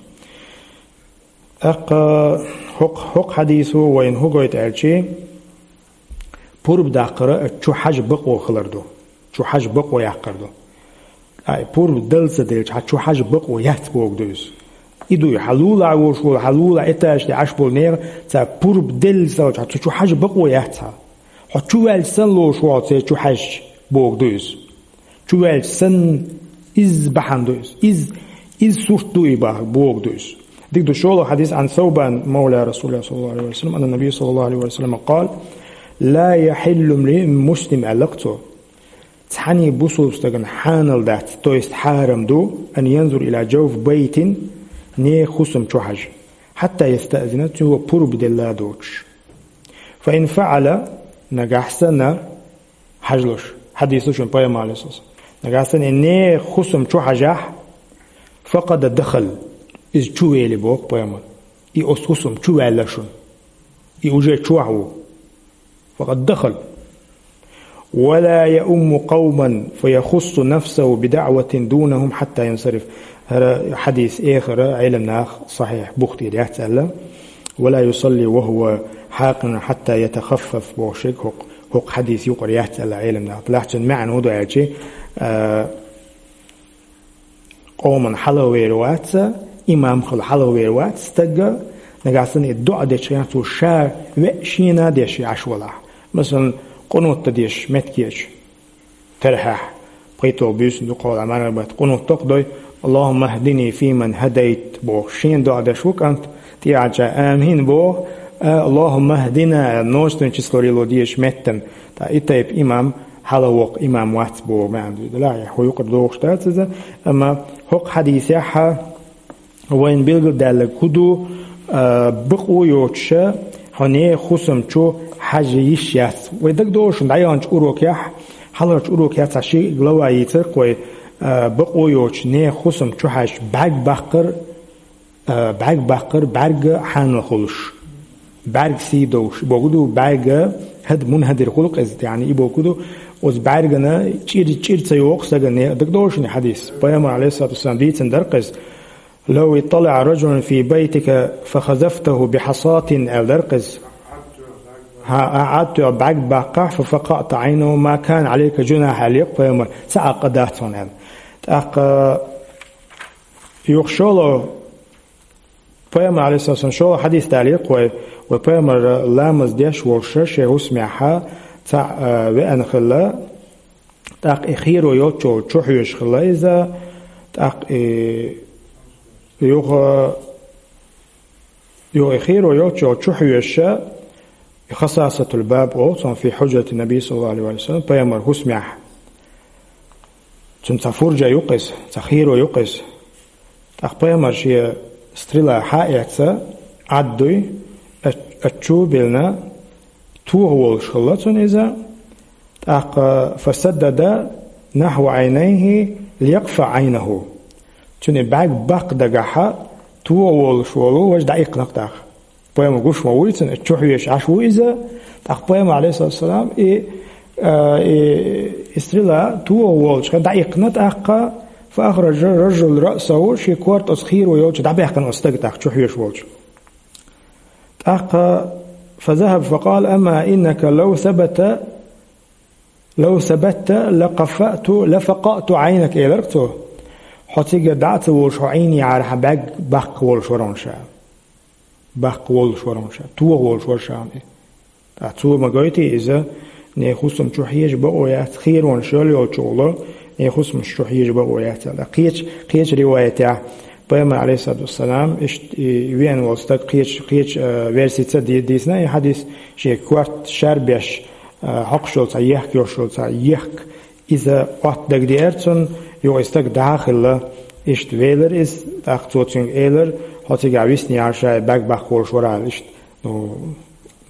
ТӀаккха хӀокху, хӀокху хьадисо вайна хӀун гойту аьлчи, пурба даккхара чу хьажа бакъо хилар ду. Чу хьажа бакъо яккхар ду. Ай, пурба дала ца делча, хьан чу хьажа бакъо яц боху ду иза. И дуй, хьан лулахь волуш волу, хьан лулахь этажаш тӀе Ӏаш болу нехан, цара пурба делла ца волчу, хьан цу чу хьажа бакъо яц хьан. Хьо чу ваьлча санна лоруш ву хьо церан чу хьаьжча, боху ду иза. Чу ваьлча санна, изза бахьана ду иза. Изза, изза сурт ду и боху ду иза. Дика ду шолгӀа хьадис, عن ثوبان مولى رسول الله صلى الله عليه وسلم أن النبي صلى الله عليه وسلم قال: لا يحل لامرئ مسلم, аьлла-кх цо. Цхьанний бусулба стагана хьанал дац, то есть хьарам ду, أن ينظر إلى جوف بيت, нехан хӀусам чу хьажа, حتى يستأذن, цо пурба делла доцуш. فإن فعل, нагахь санна, хьажалаш, хьадис ду шуна пайхамар, عليه الصلاة والسلام. Нагахь санна и нехан хӀусам чу хьажахь, فقد دخل, иза чу вели боху пайхамар. И оцу хӀусам чу ваьлла шуна. И уже чохь ву. فقد دخل. ولا يؤم قوما فيخص نفسه بدعوة دونهم حتى ينصرف. ХӀара хьадис эхара Ӏеламнаха сахьихь бух тӀера яц аьлла. ولا يصلي وهو حاقن حتى يتخفف боху шега хӀокху, хӀокху хьадис юкъара яц аьлла Ӏеламнаха. Лахьчун маьӀна хӀун ду аьлчи, а, къоман хьалхавер вац, имам хила хьалхавер вац стаг, нагахь санна и доӀа дечу хенахь цо ша веа шена а деш Ӏаш валахь. Масалан, къунут дан деш меттигерчу терхьехь, пхийтта буьйсанна дукхахволу марханбатта къунут доккха дой, اللهم اهدني فيمن هديت боху, шена доӀа деш ву кӀант, тӀехьарча амин боху, а, اللهم اهدنا, множественное число лело дезаш меттана. Ткъа и тайпа имам хьалхавоккху имам вац боху маьӀна ду. Делахь, хӀун юкъара догӀуш дац иза, амма хӀокху хьадисехь вайна билгалдаьлларг хӀун ду, а, бакъо йоцуша, хьо нехан хӀусам чу хьажа йиш яц. Вай дагадогӀу шуна дӀаяханчу урокехь, хьалхарчу урокехь цхьа ши глава йийцира-кх вай, а, бакъо йоцуш нехан хӀусам чу хьаьжча бӀаьрг баккхар, а, бӀаьрг баккхар, бӀаьрг хьанал хуьлуш. БӀаьрг сий довш. Боху ду бӀаьрг хӀад мунхӀадир хуьлу-кх иза, яъни и боху ду, оцу бӀаьргана чӀир, чӀир ца йогӀу стагана, дагадогӀу шуна хьадис. Пайхамар, عليه الصلاة والسلام, дийцина дара-кх иза. لو اطلع رجل في بيتك فخذفته بحصاة, аьлла дара-кх иза. ХӀа, ахьа Ӏад тоьхна бӀаьрг баккхахь, ففقعت عينه ما كان عليك جناح, аьлла-кх пайхамар, цхьа а къа дац хьуна аьлла. ТӀаккха юха шолгӀа пайхамар, عليه الصلاة والسلام, шолгӀа хьадис далийра-кх вай, вай пайхамар ламаз деш волуш шен хӀусамехь цхьаъ, а, веана хилла, тӀаккха и херо йолччул чу хьоьжуш хилла иза, тӀаккха и юха, юха и херо йолччул чу хьоьжуша, и خصاصة الباب олу цунах في حجرة النبي صلى الله عليه وسلم, пайхамар хӀусамехь. Цуьнан цхьа фуржа ю-кх иза, цхьа херо ю-кх иза. ТӀаккха пайхамар шен стрела хьа а эцна, Ӏад дуй, а, а чу а биллина, тоха волуш хилла цунна иза, тӀаккха فسدد نحو عينيه ليقفع عينه. Цуьнан бӀаьрг баккха дагахь тоха волуш волу важа дӀаиккхина-кх тӀаккха. Пайхамар гуш ма вуй цунна, чу хьоьжуш Ӏаш ву иза, тӀаккха пайхамар, عليه الصلاة والسلام, и, а, и, и стрела тоха волчу хенахь дӀаиккхина тӀаккха, فأخرج الرجل رأسه, шен корта оцу херо йолчу дӀабаьккхина оцу стага тӀаккха чу хьоьжуш волчу. ТӀаккха فذهب فقال: أما إنك لو ثبت، لو ثبت لقفأت، لفقأت عينك, элира цо. Хьо цига дӀа а ца волуш, хьо Ӏийна яхьара хьан бӀаьрг баккха волуш вара хьуна ша. Баккха волуш вара хьуна ша. Тоха волуш вара ша хьуна и. Ткъа цо ма гойтий иза, нехан хӀусам чу хьежа бакъо яц, херонаш йолчу гӀуло, нехан хӀусамаш чу хьежа бакъо яц аьлла. Кхечу, кхечу риваятехь, пайхамар, алейхиссалату вассалам, иштта и веана волу стаг кхечу, кхечу, а, версица ди-, дийцина и хьадис, шен корта шарбеш, а, хьокхуш йолу цхьа ехк, йолуш йолу цхьа ехк, иза Ӏотта дагадеара цунна, юха и стаг дӀа а хилла, иштта велира иза, тӀаккха цо цуьнга элира: «Хьо цигахь висна яхьара ша, и бӀаьрг баккха волуш вара», аьлла иштта. Ну,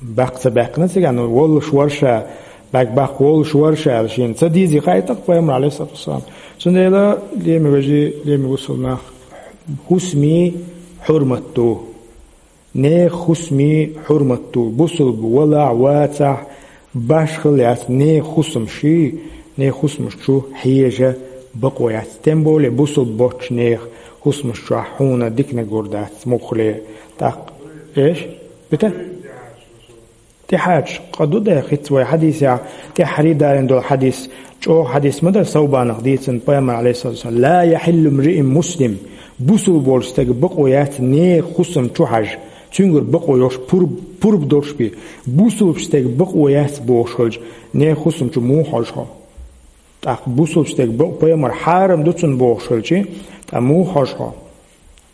баккха ца баьккхина цигахь, ну, воллуш вара ша, бӀаьрг баккха воллуш вара ша аьлла, шена ца дезий хаьий тӀаккха пайхамар, алейхиссалату вассалам. Цундела, лераме вежарий, лераме бусалба нах, хӀусамийн хьурмат ду. Нехан хӀусамийн хьурмат ду. Бусалба валахь, вацахь, башхалла яц нехан хӀусамаш, нехан хӀусамаш чу хьежа бакъо яц. Тем более бусалба боцчу нехан хӀусамаш чохь хьуна диканиг гур дац, муххале. ТӀаккха, эш? Бита? ТӀехьачу къа ду дехица вай хьадисехь, тӀаьххьарий далийна долу хьадис, чӀогӀа хьадис ма дара, Саубанах дийцина пайхамар, алейхиссалату вассалам: «لا يحل لامرئ مسلم», бусалба волчу стага бакъо яц нехан хӀусам чу хьажа, цуьнгара бакъо йолуш, пурба, пурба долуш бен, бусалбачу стага бакъо яц бохуш хилча, нехан хӀусам чу муха хьожу хьо? ТӀаккха бусалбачу стага бакъо, пайхамар хьарам ду цунна бохуш хилча, ткъа муха хьожу хьо?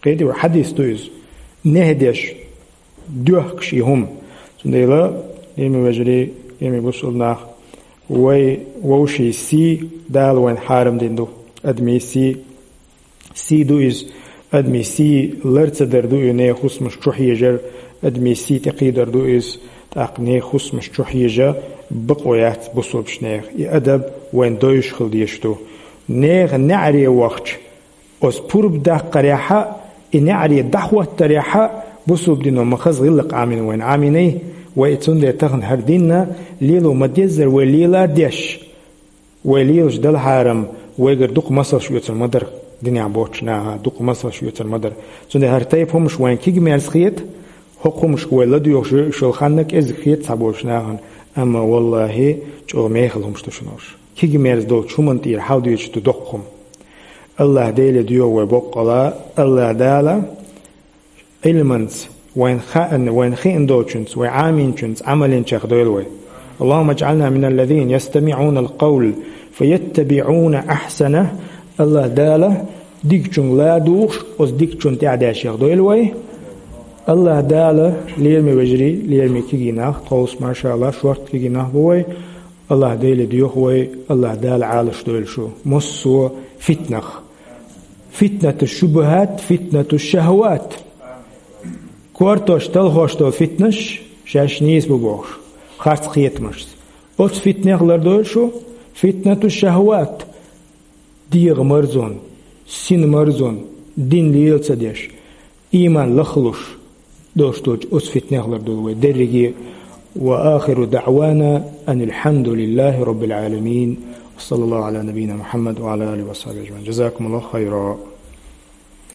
Кхетий вай, хьадис ду иза. Нехь деш, доьхкуш и хӀума. Цундела, лераме вежарий, лераме бусалба нах, вай вовшийн сий Дала вайна хьарам дина ду. Адамийн сий, сий ду иза. Адамийн сий лар ца дар ду и, нехан хӀусамаш чу хьежар, адамийн сий тӀекхийдар ду иза. ТӀаккха нехан хӀусамаш чу хьежа бакъо яц бусалбачу нехан. И адаб вайна довзуш хила дезаш ду. Нехан неӀаре вахча, оцу пурба даккхарехь а, и неӀаре дӀахӀоттарехь а, бусалба дино ма хаза гӀиллакх Ӏамийна вайна, Ӏамийний, вай и цундела тахана хӀара дин лело ма-деззара вай лела а деш, вай лелаш дала хьарам, вайгара дукха масалш оьцур ма дара, динехь боцчу наха дукха масалш оьцур ма дара. Цундела хӀара тайпа хӀумаш вайна кегамерза хета, хӀокху хӀумашка вай ладоьгӀуш йолу хан кӀезиг хета цхьаболчу нахана, амма, валлахӀи, чӀогӀа мехала хӀумаш ду шуна уьш. Кегамерза долчу хӀуманна тӀера хьаладоьдуш ду доккха хӀума. АллахӀ-Деле доьху вай боккъала, АллахӀ-Дала Ӏилманца, вайна хаьа-, вайна хиъна долчуьнца, вай Ӏамийначуьнца Ӏамал йина чекхдойла вай. اللهم اجعلنا من الذين يستمعون القول فيتبعون أحسنه. АллахӀ-Дала дикачуьнга ладугӀуш, оцу дикачунна тӀаьхьадаьшех дойла вай. АллахӀ-Дала, лераме вежарий, лераме кегий нах, тховса, машаАллахӀ, шортта кегий нах бу вай. АллахӀ-Деле доьху вай, АллахӀ-Дала Ӏалашдойла шу массо а фитнах. فتنة الشبهات، فتنة الشهوات. Кортош, талхош долу фитнаш шаьш нийса бу бохуш, харц кхетамашца. Оцу фитнех лардойла шу, فتنة الشهوات. ДегӀан марзонна, синан марзонна, дин лела ца деш, ийман лахлуш долуш долчу оцу фитнех лардойла вай дерриге. وآخر دعوانا أن الحمد لله رب العالمين. وصلى الله على نبينا محمد وعلى آله وصحبه أجمعين. جزاكم الله خيرا.